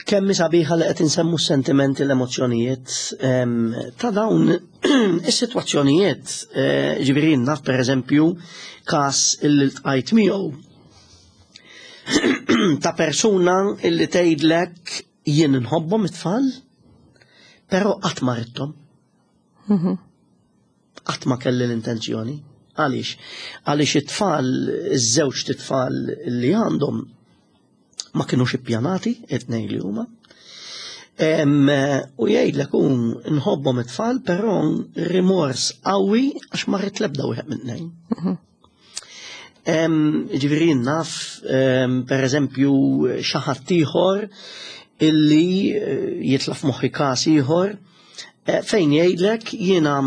Speaker 1: Kemm sabiħa li qed insemmu s-sentimenti, l-emozzjonijiet ta' dawn is-sitwazzjonijiet, ġifieri naf pereżempju każ illi ltqajt miegħu ta' persuna illi tgħidlek jien nħobbhom it-tfal, però qatt ma ridthom. Qatt ma kelli l-intenzjoni. Għaliex? Għaliex it-tfal, iż-żewġ tfal li għandhom ma kienux ippjanati, it-tnejn li huma. U jgħidlek hu nħobbhom it-tfal, però rimors qawwi għax ma rrid l-ebda wieħed minn tnejn. Ġifieri naf, per eżempju, xi ħadd ieħor illi jitla' f'moħħi każ ieħor fejn jgħidlek jiena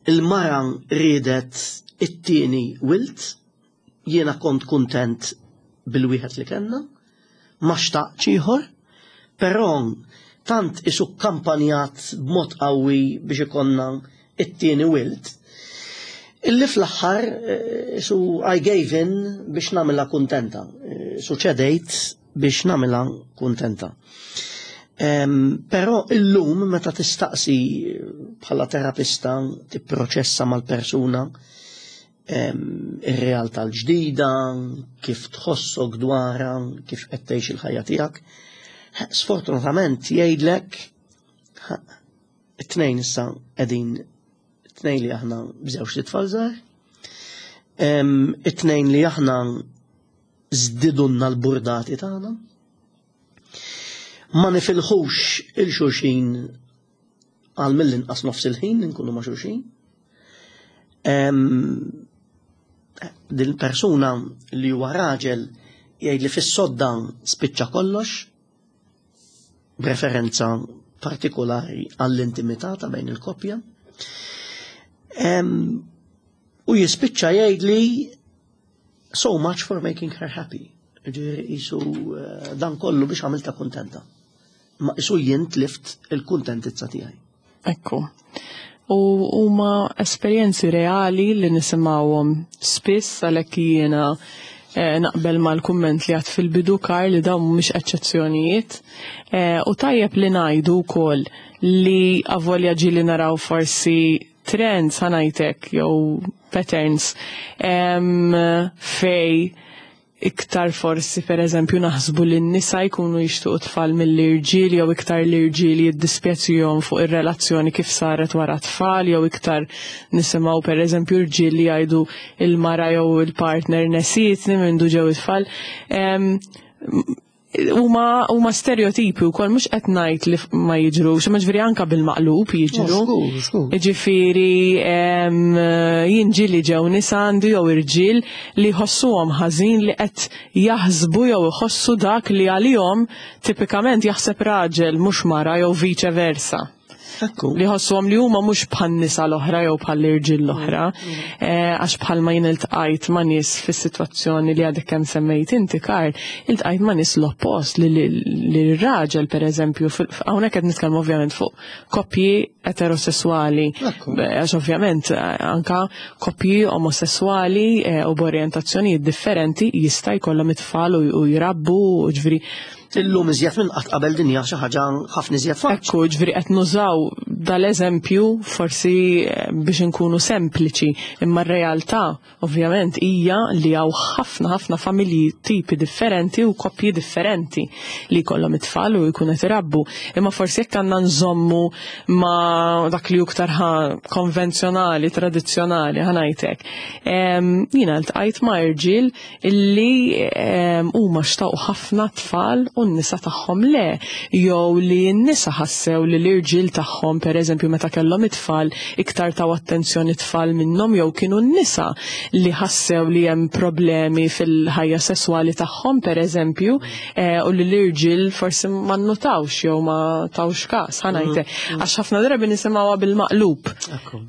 Speaker 1: il-mara riedet it-tieni wild, jiena kont kuntent bil-wieħed li kellna, ma xtaqtx ieħor, però tant isu kampanjat b'mod qawwi biex ikonna it-tieni wild, illi fl-aħħar isu I gave in biex nagħmilha kuntenta. Su ċedejt. biex nagħmilha kuntenta. Però illum meta tistaqsi bħala terapista tipproċessa mal-persuna ir-realtà l-ġdida, kif tħossok dwarha, kif qed tgħix il-ħajja tiegħek, sfortunatament jgħidlek it-tnejn issa qegħdin it-tnejn li aħna b'żewġ tfal żgħar, it-tnejn li aħna żdidulna l-burdati tagħna. Ma nifilħux il-xulxin għal mill-inqas nofs il-ħin nkunu ma' xulxin. Din persuna li huwa raġel jgħid li fis-sodda spiċċa kollox, b'referenza partikolari għall-intimità ta' bejn il-koppja. U jispiċċa jgħid li so much for making her happy. Ġifieri qisu eh, dan kollu biex għamilta kuntenta. Ma qisu jien tlift il-kuntentizza tiegħi.
Speaker 2: Ekku. U huma esperjenzi reali li nisimgħuhom spiss għalhekk jiena eh, naqbel mal-kumment li għad fil-bidu kar li dawn mhumiex eċċezzjonijiet. Eh, u tajjeb li ngħidu wkoll li avolja ġieli naraw forsi trends ħa ngħidlek jew patterns fej iktar forsi per eżempju naħsbu li n-nisa jkunu jixtuqu tfal mill-irġiel jew iktar l-irġiel jiddispjaċihom fuq ir-relazzjoni kif saret wara tfal jew iktar nisimgħu per eżempju irġiel li jgħidu il-mara jew il-partner nesietni mindu ġew it-tfal. Huma huma stereotipi wkoll mhux qed ngħid li ma jiġrux, imma ġifieri anke bil-maqlub jiġru. Ġifieri jien ġieli ġew nisa għandi jew irġiel li jħossuhom ħażin li qed jaħsbu jew iħossu dak li għalihom tipikament jaħseb raġel mhux mara jew viċe versa. Li ħossuhom li huma mhux bħan-nisa l-oħra jew bħall-irġiel l-oħra. Eh, għax bħalma jien iltqajt ma' nies fis-sitwazzjoni li għadek kemm semmejt inti Karl, iltqajt ma' nies l-oppost li l-raġel pereżempju, hawnhekk qed nitkellmu ovvjament fuq koppji eterosessuali, għax ovvjament eh, anka koppji omosessuali eh, u b'orjentazzjonijiet differenti jista' jkollhom it-tfal u jrabbu, ġifieri
Speaker 1: Illum iżjed minn qatt qabel din hija xi ħaġa ħafna iżjed faċli.
Speaker 2: Ekku, ġifieri qed nużaw dal-eżempju forsi eh, biex inkunu sempliċi, imma r-realtà ovvjament hija li hawn ħafna ħafna familji tipi differenti u koppji differenti li jkollhom it-tfal u jkunu qed irabbu. Imma forsi jekk għandna nżommu ma' dak li iktar konvenzjonali, tradizzjonali, ħanajtek. Jiena ltqajt ma' irġiel illi ehm, huma xtaqu ħafna tfal u n-nisa tagħhom le, jew li n-nisa ħassew li l-irġiel tagħhom pereżempju meta kellhom it-tfal iktar taw attenzjoni tfal minnhom jew kienu n-nisa li ħassew li hemm problemi fil-ħajja sesswali tagħhom pereżempju eh, u li l-irġiel forsi ma nnotawx jew ma tawx każ ħanajte. Mm. Għax ħafna drabi nisimgħuha bil-maqlub.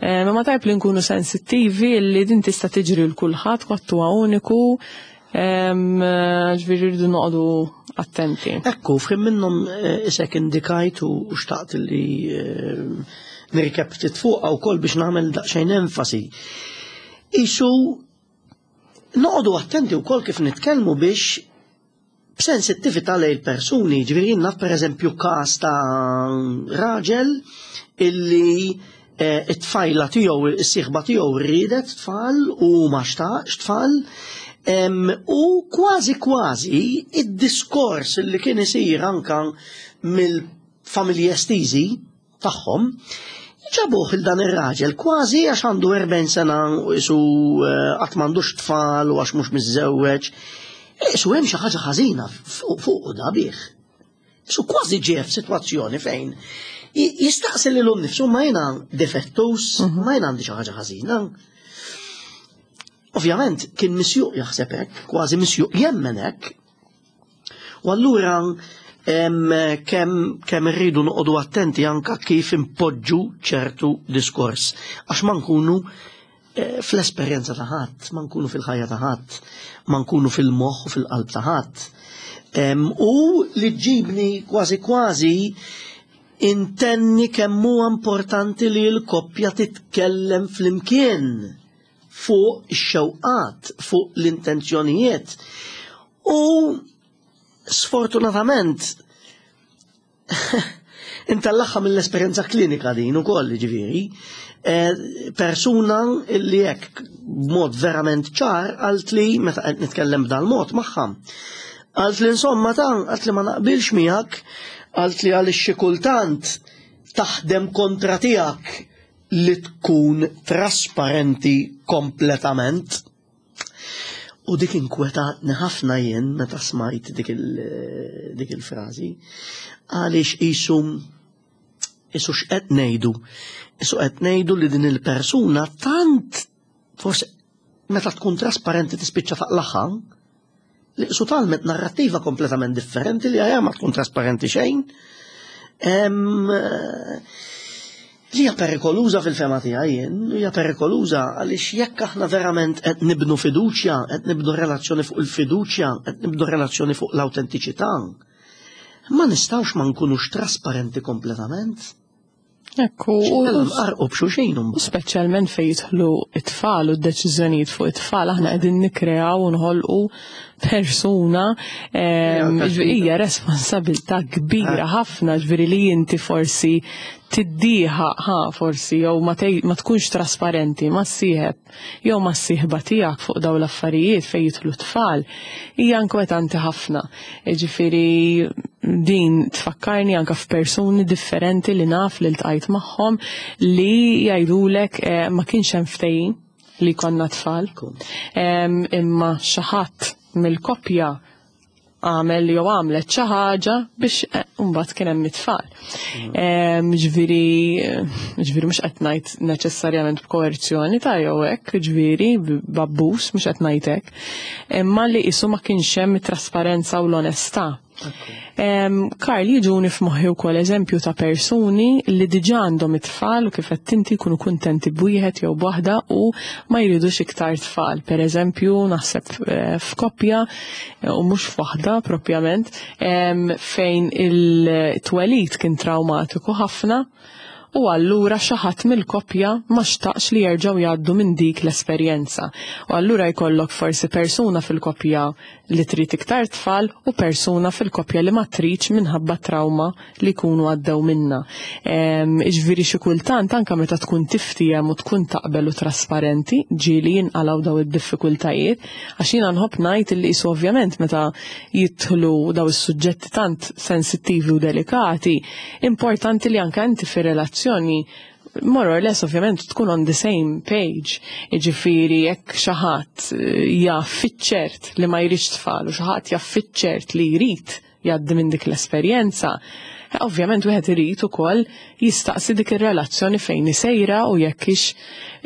Speaker 2: Eh, ma tajb li nkunu sensittivi li din tista' tiġri l kulħadd kwatt huwa uniku, ġifieri rridu noqogħdu attenti.
Speaker 1: Ekku, f'ħin minnhom eh, isek indikajt u xtaqt li eh, nirkeb ftit fuqha wkoll biex nagħmel daqsxejn enfasi. Isu noqogħdu attenti wkoll kif nitkellmu biex b'sensittività lejn persuni, ġifieri jien naf pereżempju każ ta' raġel illi eh, it-tfajla tiegħu, is-sieħba tiegħu riedet tfal u ma xtaqx tfal. U kważi kważi id-diskors li kien isir anka mill-familji estiżi tagħhom, ġabuh il dan ir-raġel kważi għax għandu 40 sena u isu eh, qatt m'għandux tfal u għax mhux miżżewweġ. Isu hemm xi ħaġa ħażina fuq da bih. Isu kważi ġie f'sitwazzjoni fejn jistaqsi lilu nnifsu ma jiena defettus, mhm. ma jiena għandi xi ħaġa ħażina. Ovvjament kien misjuq jaħseb hekk, kważi misjuq jemmen hekk, U allura kemm kemm irridu noqogħdu attenti anka kif impoġġu ċertu diskors għax ma nkunu eh, fl-esperjenza ta' ħadd, ma nkunu fil-ħajja ta' ħadd, ma nkunu fil-moħħ u fil-qalb ta' ħadd. U li ġibni kważi kważi intenni kemm huwa importanti li l-koppja titkellem flimkien fuq ix-xewqat, fuq l-intenzjonijiet. U Sfortunatament, intallaħħa mill-esperjenza klinika din ukoll ġifieri, eh, persuna li hekk b'mod verament ċar għalt li meta qed nitkellem b'dal mod magħha. Għalt li insomma ta' għalt li ma naqbilx miegħek, għalt li għaliex xi kultant taħdem kontra tiegħek li tkun trasparenti kompletament. U dik inkwetatni ħafna jien meta smajt dik il-frażi, għaliex qisu qisu x'qed ngħidu. Qisu qed ngħidu li din il-persuna tant forsi meta tkun trasparenti tispiċċa taqlaħħa, li qisu talmet narrattiva kompletament differenti li għajja ma tkun trasparenti xejn. Li hija perikoluża fil-fema tiegħi jien, hija perikoluża għaliex jekk aħna verament qed nibnu fiduċja, qed nibnu relazzjoni fuq il-fiduċja, qed nibnu relazzjoni fuq l-awtentiċità, ma nistgħux ma nkunux trasparenti kompletament.
Speaker 2: Ekku,
Speaker 1: u b'xulxin.
Speaker 2: Speċjalment fejn jidħlu it-tfal u d-deċiżjonijiet fuq it-tfal, aħna qegħdin nikkreaw u nħolqu persuna hija responsabilità kbira ah. ħafna ġifieri li inti forsi tiddieħaq ħa forsi jew ma tkunx trasparenti ma sieħeb jew mas-sieħba tiegħek fuq dawn l-affarijiet fejn jidħlu t-tfal hija inkwetanti ħafna. Jiġifieri din tfakkarni anke f'persuni differenti li naf li ltqajt magħhom li jgħidulek eh, ma kienx hemm ftehim li jkollna tfal. Imma xi ħadd mill-koppja għamel jew għamlet xi ħaġa biex eh, mbagħad kien hemm it-tfal. Mm. Ġifieri ġifieri mhux qed ngħid neċessarjament b'koerzjoni ta' jew hekk, ġifieri b'abbuż mhux qed ngħid hekk, imma li qisu ma kienx hemm it-trasparenza u l-onestà. Karl, jiġuni f'moħħi wkoll eżempju ta' persuni li diġà għandhom it-tfal u kif qed inti jkunu kuntenti b'wieħed jew b'waħda u ma jridux iktar tfal. Per eżempju, naħseb eh, f'koppja eh, u mhux f'waħda propjament fejn il-twelid kien traumatiku ħafna u allura xi ħadd mill-koppja ma xtaqx li jerġgħu jgħaddu minn dik l-esperjenza. U allura jkollok forsi persuna fil-koppja li trid iktar tfal u persuna fil-koppja li ma tridx minħabba trawma li jkunu għaddew minnha. Jiġifieri xi kultant anke meta tkun tiftiehem u tkun taqbel u trasparenti ġieli jinqalgħu daw id-diffikultajiet għax jiena nħobb ngħid illi qisu ovvjament meta jidħlu daw is-suġġetti tant sensittivi u delikati, importanti li anke inti fir-relazzjoni more or less ovvjament tkun on the same page. Jiġifieri jekk xi ħadd eh, jaf fiċ-ċert li ma jridx tfal u xi ħadd jaf fiċ-ċert li jrid jgħaddi minn dik l-esperjenza, eh, ovvjament wieħed irid ukoll jistaqsi dik ir-relazzjoni fejn isejra u jekk ix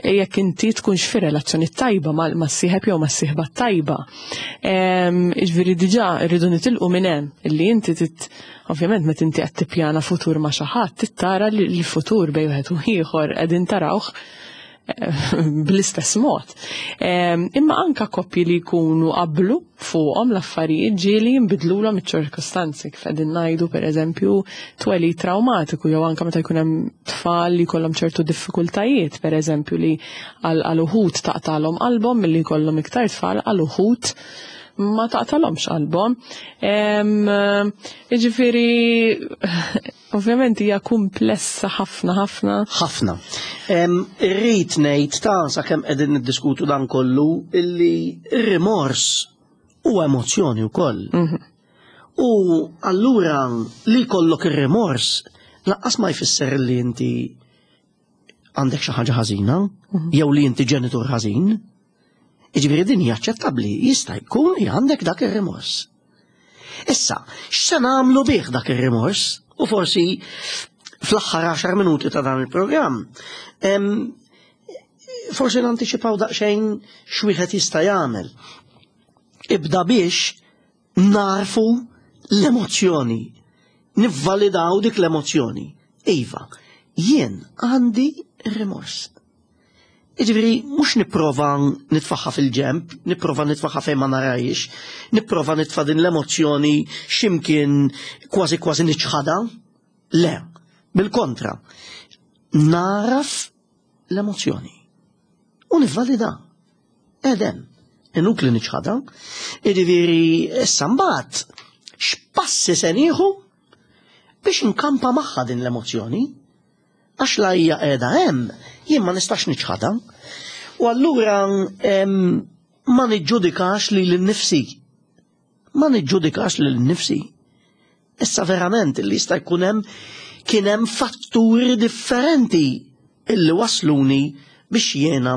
Speaker 2: jekk inti tkunx fi relazzjoni tajba mas-sieħeb jew mas-sieħba tajba. Jiġifieri diġà rridu nitilqu minn hemm illi inti tit Ovvjament meta inti qed tippjana futur ma' xi ħadd, trid tara li l-futur bejn wieħed u ieħor qegħdin tarawh eh, bl-istess mod. Imma anka koppji li jkunu qablu fuqhom l-affarijiet ġieli jinbidlulhom iċ-ċirkostanzi kif qegħdin ngħidu pereżempju twelid traumatiku jew anka meta jkun hemm tfal li jkollhom ċertu diffikultajiet pereżempju li għal uħud taqtalhom qalbhom milli jkollhom iktar tfal għal uħud ma taqtalhomx qalbhom. Jiġifieri ovvjament hija kumplessa ħafna ħafna.
Speaker 1: Ħafna. Irrid ngħid ta' sakemm qegħdin niddiskutu dan kollu illi r-rimors huwa emozzjoni wkoll. Mhm. U allura li jkollok ir-rimors laqqas ma jfisser li inti għandek xi ħaġa ħażina mhm. jew li inti ġenitur ħażin. Jiġifieri din hija aċċettabbli, jista' jkun li għandek dak ir-rimors. Issa, x'se nagħmlu bih dak ir-rimors? U forsi fl-aħħar 10 minuti ta' dan il-programm, forsi nantiċipaw daqsxejn x'wieħed jista' jagħmel. Ibda biex narfu l-emozzjoni, nivvalidaw dik l-emozzjoni. Iva, jien għandi rimors. Jiġifieri mhux nipprova nitfaħħa fil-ġemp, nipprova nitfaħħa fejn ma narajx, nipprova nitfa' din l-emozzjoni x'imkien kważi kważi niċħadha. Le, bil-kontra. Naraf l-emozzjoni u nivvalida. Edem, inutli niċħadha. Jiġifieri issa mbagħad X'passi se nieħu biex nkampa magħha din l-emozzjoni? Għax la hija qiegħda hemm, jien ma nistax niċħadha. U allura ma niġġudikax lili nnifsi. Ma niġġudikax lili nnifsi. Issa verament li jista' jkun hemm kien hemm fatturi differenti illi wasluni biex jiena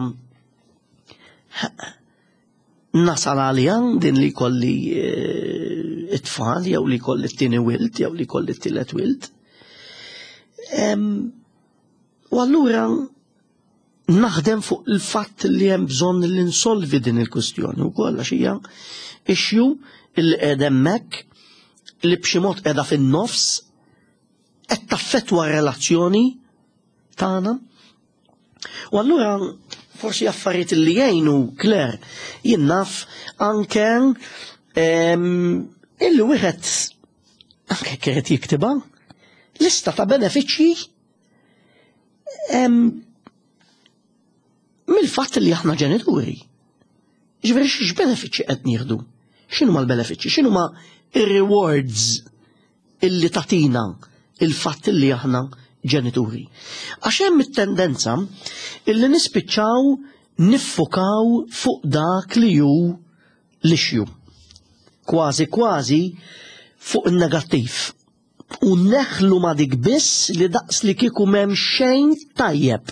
Speaker 1: nasal għalija din li kolli eh, it-tfal jew li kolli t-tieni wilt jew li kolli t-tielet wilt. U allura naħdem fuq il-fatt li hemm bżonn li nsolvi din il-kwistjoni wkoll għax hija issue li qiegħda hemmhekk li b'xi mod qiegħda fin-nofs qed taffettwa r-relazzjoni tagħna. U allura forsi affarijiet li jgħinu Claire jien naf anke illi wieħed anke kienet jiktibha lista ta' benefiċċji mill-fatt li aħna ġenituri. Ġifieri x'benefiċċji qed nieħdu? X'inhuma l-benefiċċji? X'inhuma ir-rewards illi tatina il-fatt li aħna ġenituri? Għax hemm it-tendenza illi nispiċċaw niffukaw fuq dak li hu l-issue. Kważi kważi fuq in-negattiv. U neħlu ma dik biss li daqs li kieku m'hemm xejn tajjeb.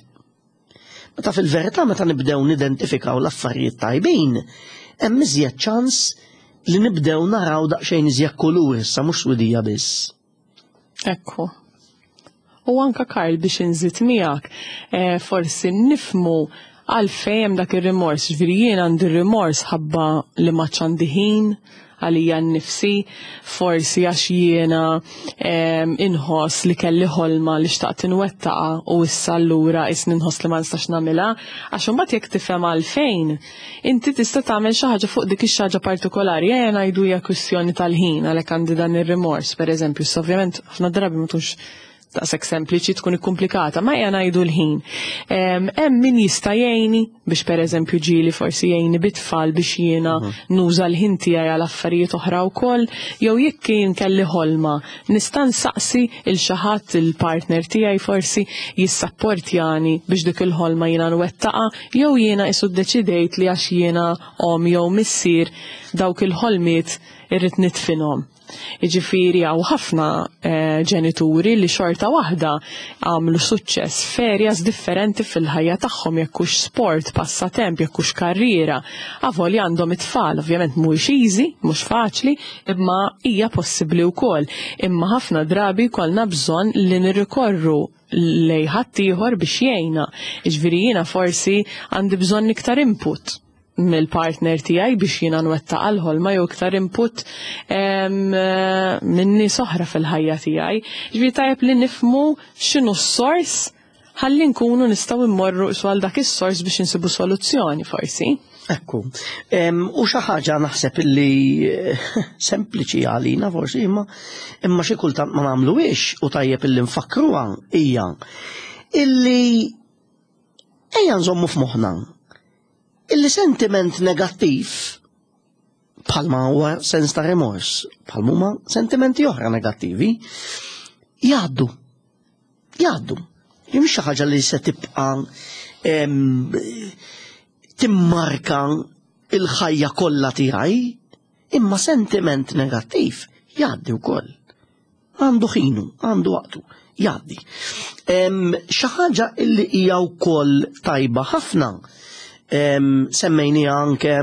Speaker 1: Meta fil-verità meta nibdew nidentifikaw l-affarijiet tajbin, hemm iżjed ċans li nibdew naraw daqsxejn iżjed kulur issa mhux swidija biss.
Speaker 2: Ekku. U anka Karl biex inżid miegħek, eh, forsi nifmu għalfejn hemm dak ir-rimors, ġifieri jien għandi rimors ħabba li ma għandi ħin għalija nnifsi, forsi għax jiena inħoss li kelli ħolma li xtaqt inwettaqa u issa allura isni nħoss li ma nistax nagħmilha, għax imbagħad jekk tifhem għalfejn, inti tista' tagħmel xi ħaġa fuq dik ix-xi ħaġa partikolari, ejja ngħidu hija kwistjoni tal-ħin għalhekk għandi dan ir-rimors, pereżempju, issa ovvjament ħafna drabi ma tkunx daqshekk sempliċi tkun ikkumplikata, ma ejja ngħidu l-ħin. Hemm min jista' jgħinni biex pereżempju ġieli forsi jgħinni bit-tfal biex jiena mhm. nuża l-ħin tiegħi għal affarijiet oħra wkoll, jew jekk jien kelli ħolma nista' nsaqsi il xi ħadd il-partner tiegħi forsi jissapportjani biex dik il-ħolma jiena nwettaqa jew jiena isu ddeċidejt li għax jiena om jew missier dawk il-ħolmiet irrid nidfinhom. Jiġifieri hawn ħafna eh, ġenituri li xorta waħda għamlu suċċess f'areas differenti fil-ħajja tagħhom jekk hux sport, passatemp, jekk hux karriera. Avolja għandhom it-tfal, ovvjament mhuwiex easy, mhux faċli, imma hija possibbli wkoll. Imma ħafna drabi jkollna bżonn li nirrikorru lej ħaddieħor biex jgħinna. Jiġifieri jiena forsi għandi bżonn iktar input mill-partner tiegħi biex jiena nwettaq għall-ħolma jew iktar input minn nies oħra fil-ħajja tiegħi. Ġifieri tajjeb li nifhmu x'inhu s-sors ħalli nkunu nistgħu mmorru għal dak is-sors biex insibu soluzzjoni forsi.
Speaker 1: Ekku. U xi ħaġa naħseb li eh, sempliċi għalina forsi imma imma xi kultant ma nagħmluhiex u tajjeb illi nfakkruha hija illi ejja nżommu f'moħħna illi sentiment negattiv bħalma huwa sens ta' remors, bħalma huma sentimenti oħra negattivi, jgħaddu. Jgħaddu. Mhix xi ħaġa li se tibqa' timmarka il-ħajja kollha tiegħi, imma sentiment negattiv jgħaddi wkoll. Għandu ħinu, għandu waqtu, jgħaddi. Xi ħaġa illi hija wkoll tajba ħafna semmejniha anke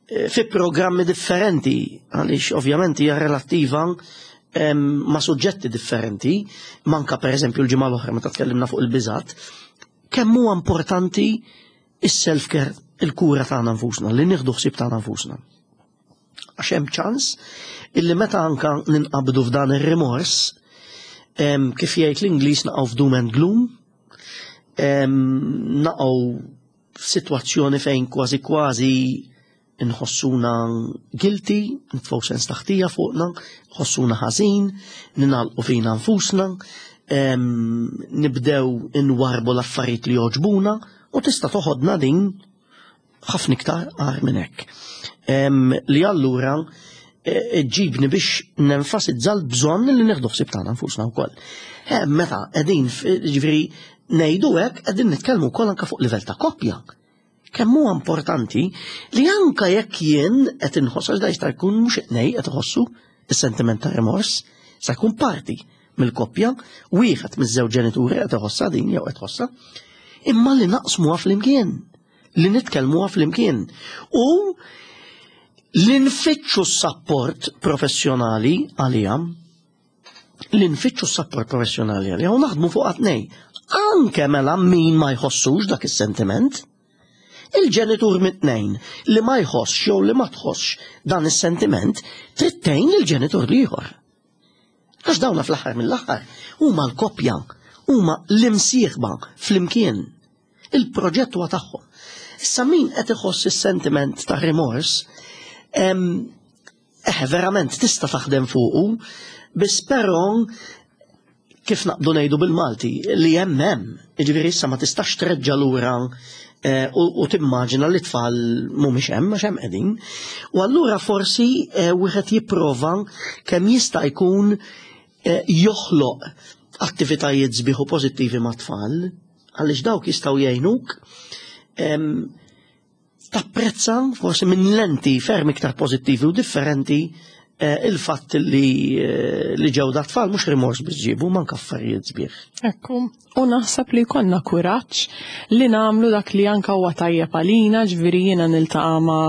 Speaker 1: eh, fi programmi differenti, għaliex ovvjament hija relattiva ma' suġġetti differenti, manka per eżempju l-ġimgħa l-oħra meta tkellimna fuq il-biżat, kemm huwa importanti is-self-care, il-kura tagħna nfusna, li nieħdu ħsieb tagħna nfusna. Għax hemm ċans illi meta anka ninqabdu f'dan ir-rimors, kif jgħid l-Ingliż naqgħu f'doom and gloom, naqgħu f'sitwazzjoni fejn kważi kważi nħossuna guilty, nitfgħu sens taħtija fuqna, nħossuna ħażin, ninalqu fina nfusna, nibdew inwarbu l-affarijiet li jogħġbuna u tista' toħodna din ħafna iktar agħar minn hekk. Li allura ġibni biex nenfasizza l-bżonn li nieħdu ħsieb tagħna nfusna wkoll. Eh, meta qegħdin ġifieri ngħidu hekk qegħdin nitkellmu wkoll anke fuq livell ta' koppja. Kemm huwa importanti li anke jekk jien qed inħoss għax da jista' jkun mhux it-tnej qed iħossu is-sentiment ta' rimors, sa jkun parti mill-koppja, wieħed miż-żewġ ġenituri qed iħossha din jew qed tħossha, imma li naqsmuha flimkien, li nitkellmuha flimkien. U li nfittxu s-sapport professjonali għalija, li nfittxu s-sapport professjonali għalija u naħdmu fuq għatnej. Anke mela min ma jħossux dak is-sentiment, il-ġenitur mit-tnejn li ma jħossx jew li ma tħossx dan is-sentiment trid tgħin lill-ġenitur l-ieħor. Għax dawna fl-aħħar mill-aħħar huma l-koppja, huma l-imsieħba flimkien. Il-proġett huwa tagħhom. Issa min qed iħoss is-sentiment ta' rimors, eh, verament tista' taħdem fuqu, biss però kif naqbdu ngħidu bil-Malti li hemm hemm, jiġifieri issa ma tistax treġġa' lura eh, u timmaġina li tfal mhumiex hemm għax hemm qegħdin. U allura forsi eh, wieħed jipprova kemm jista' jkun eh, joħloq attivitajiet sbieħ u pożittivi mat-tfal, għaliex dawk jistgħu jgħinuk tapprezza forsi minn lenti ferm iktar pożittivi u differenti eh, il-fatt li, eh, li ġew da tfal mhux rimors biex ġibu manka affarijiet sbieħ.
Speaker 2: Ekku, u naħseb li konna kuraġġ li nagħmlu dak li anka huwa tajjeb għalina, ġifieri jiena niltaqa' ma'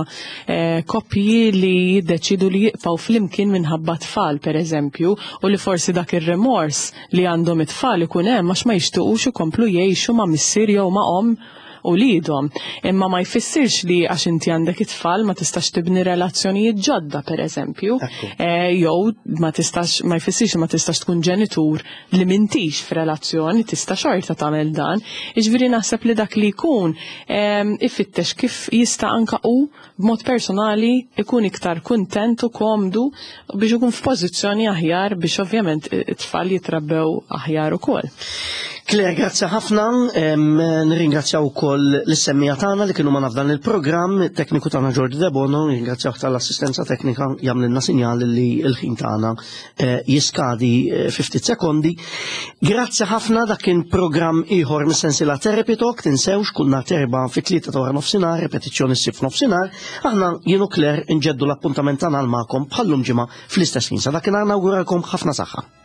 Speaker 2: eh, koppji li jiddeċidu li jibqgħu flimkien minħabba tfal pereżempju, u li forsi dak ir-remors li għandhom it-tfal ikun hemm għax ma jixtiequx ikomplu jgħixu ma' missier jew ma' omm uliedhom. Imma ma jfissirx li għax inti għandek it-tfal ma tistax tibni relazzjonijiet ġodda pereżempju. Eh, jew ma tistax ma jfissirx li ma tistax tkun ġenitur li m'intix f'relazzjoni, tista' xorta tagħmel dan. Jiġifieri naħseb li dak li jkun ehm, ifittex kif jista' anka hu b'mod personali ikun iktar kuntent u komdu biex ikun f'pożizzjoni aħjar biex ovvjament it-tfal jitrabbew aħjar ukoll.
Speaker 1: Claire, grazzi ħafna. Nirringrazzjaw ukoll l-semmija tagħna li kienu ma f'dan il-programm, it-tekniku tagħna George Debono, nirringrazzjaw tal-assistenza teknika jagħmlilna sinjal li l-ħin tagħna eh, jiskadi eh, fi ftit sekondi. Grazzi ħafna dak kien programm ieħor mis-sensiela Therapy Talk, tinsewx kull nhar terba fit-tlieta ta' wara nofsinhar, repetizzjoni ssib f'nofsinhar. Aħna jien u Claire nġeddu l-appuntament tagħna magħkom bħallum ġimgħa fl-istess ħin. Sa dakinhar nawguralkom ħafna saħħa.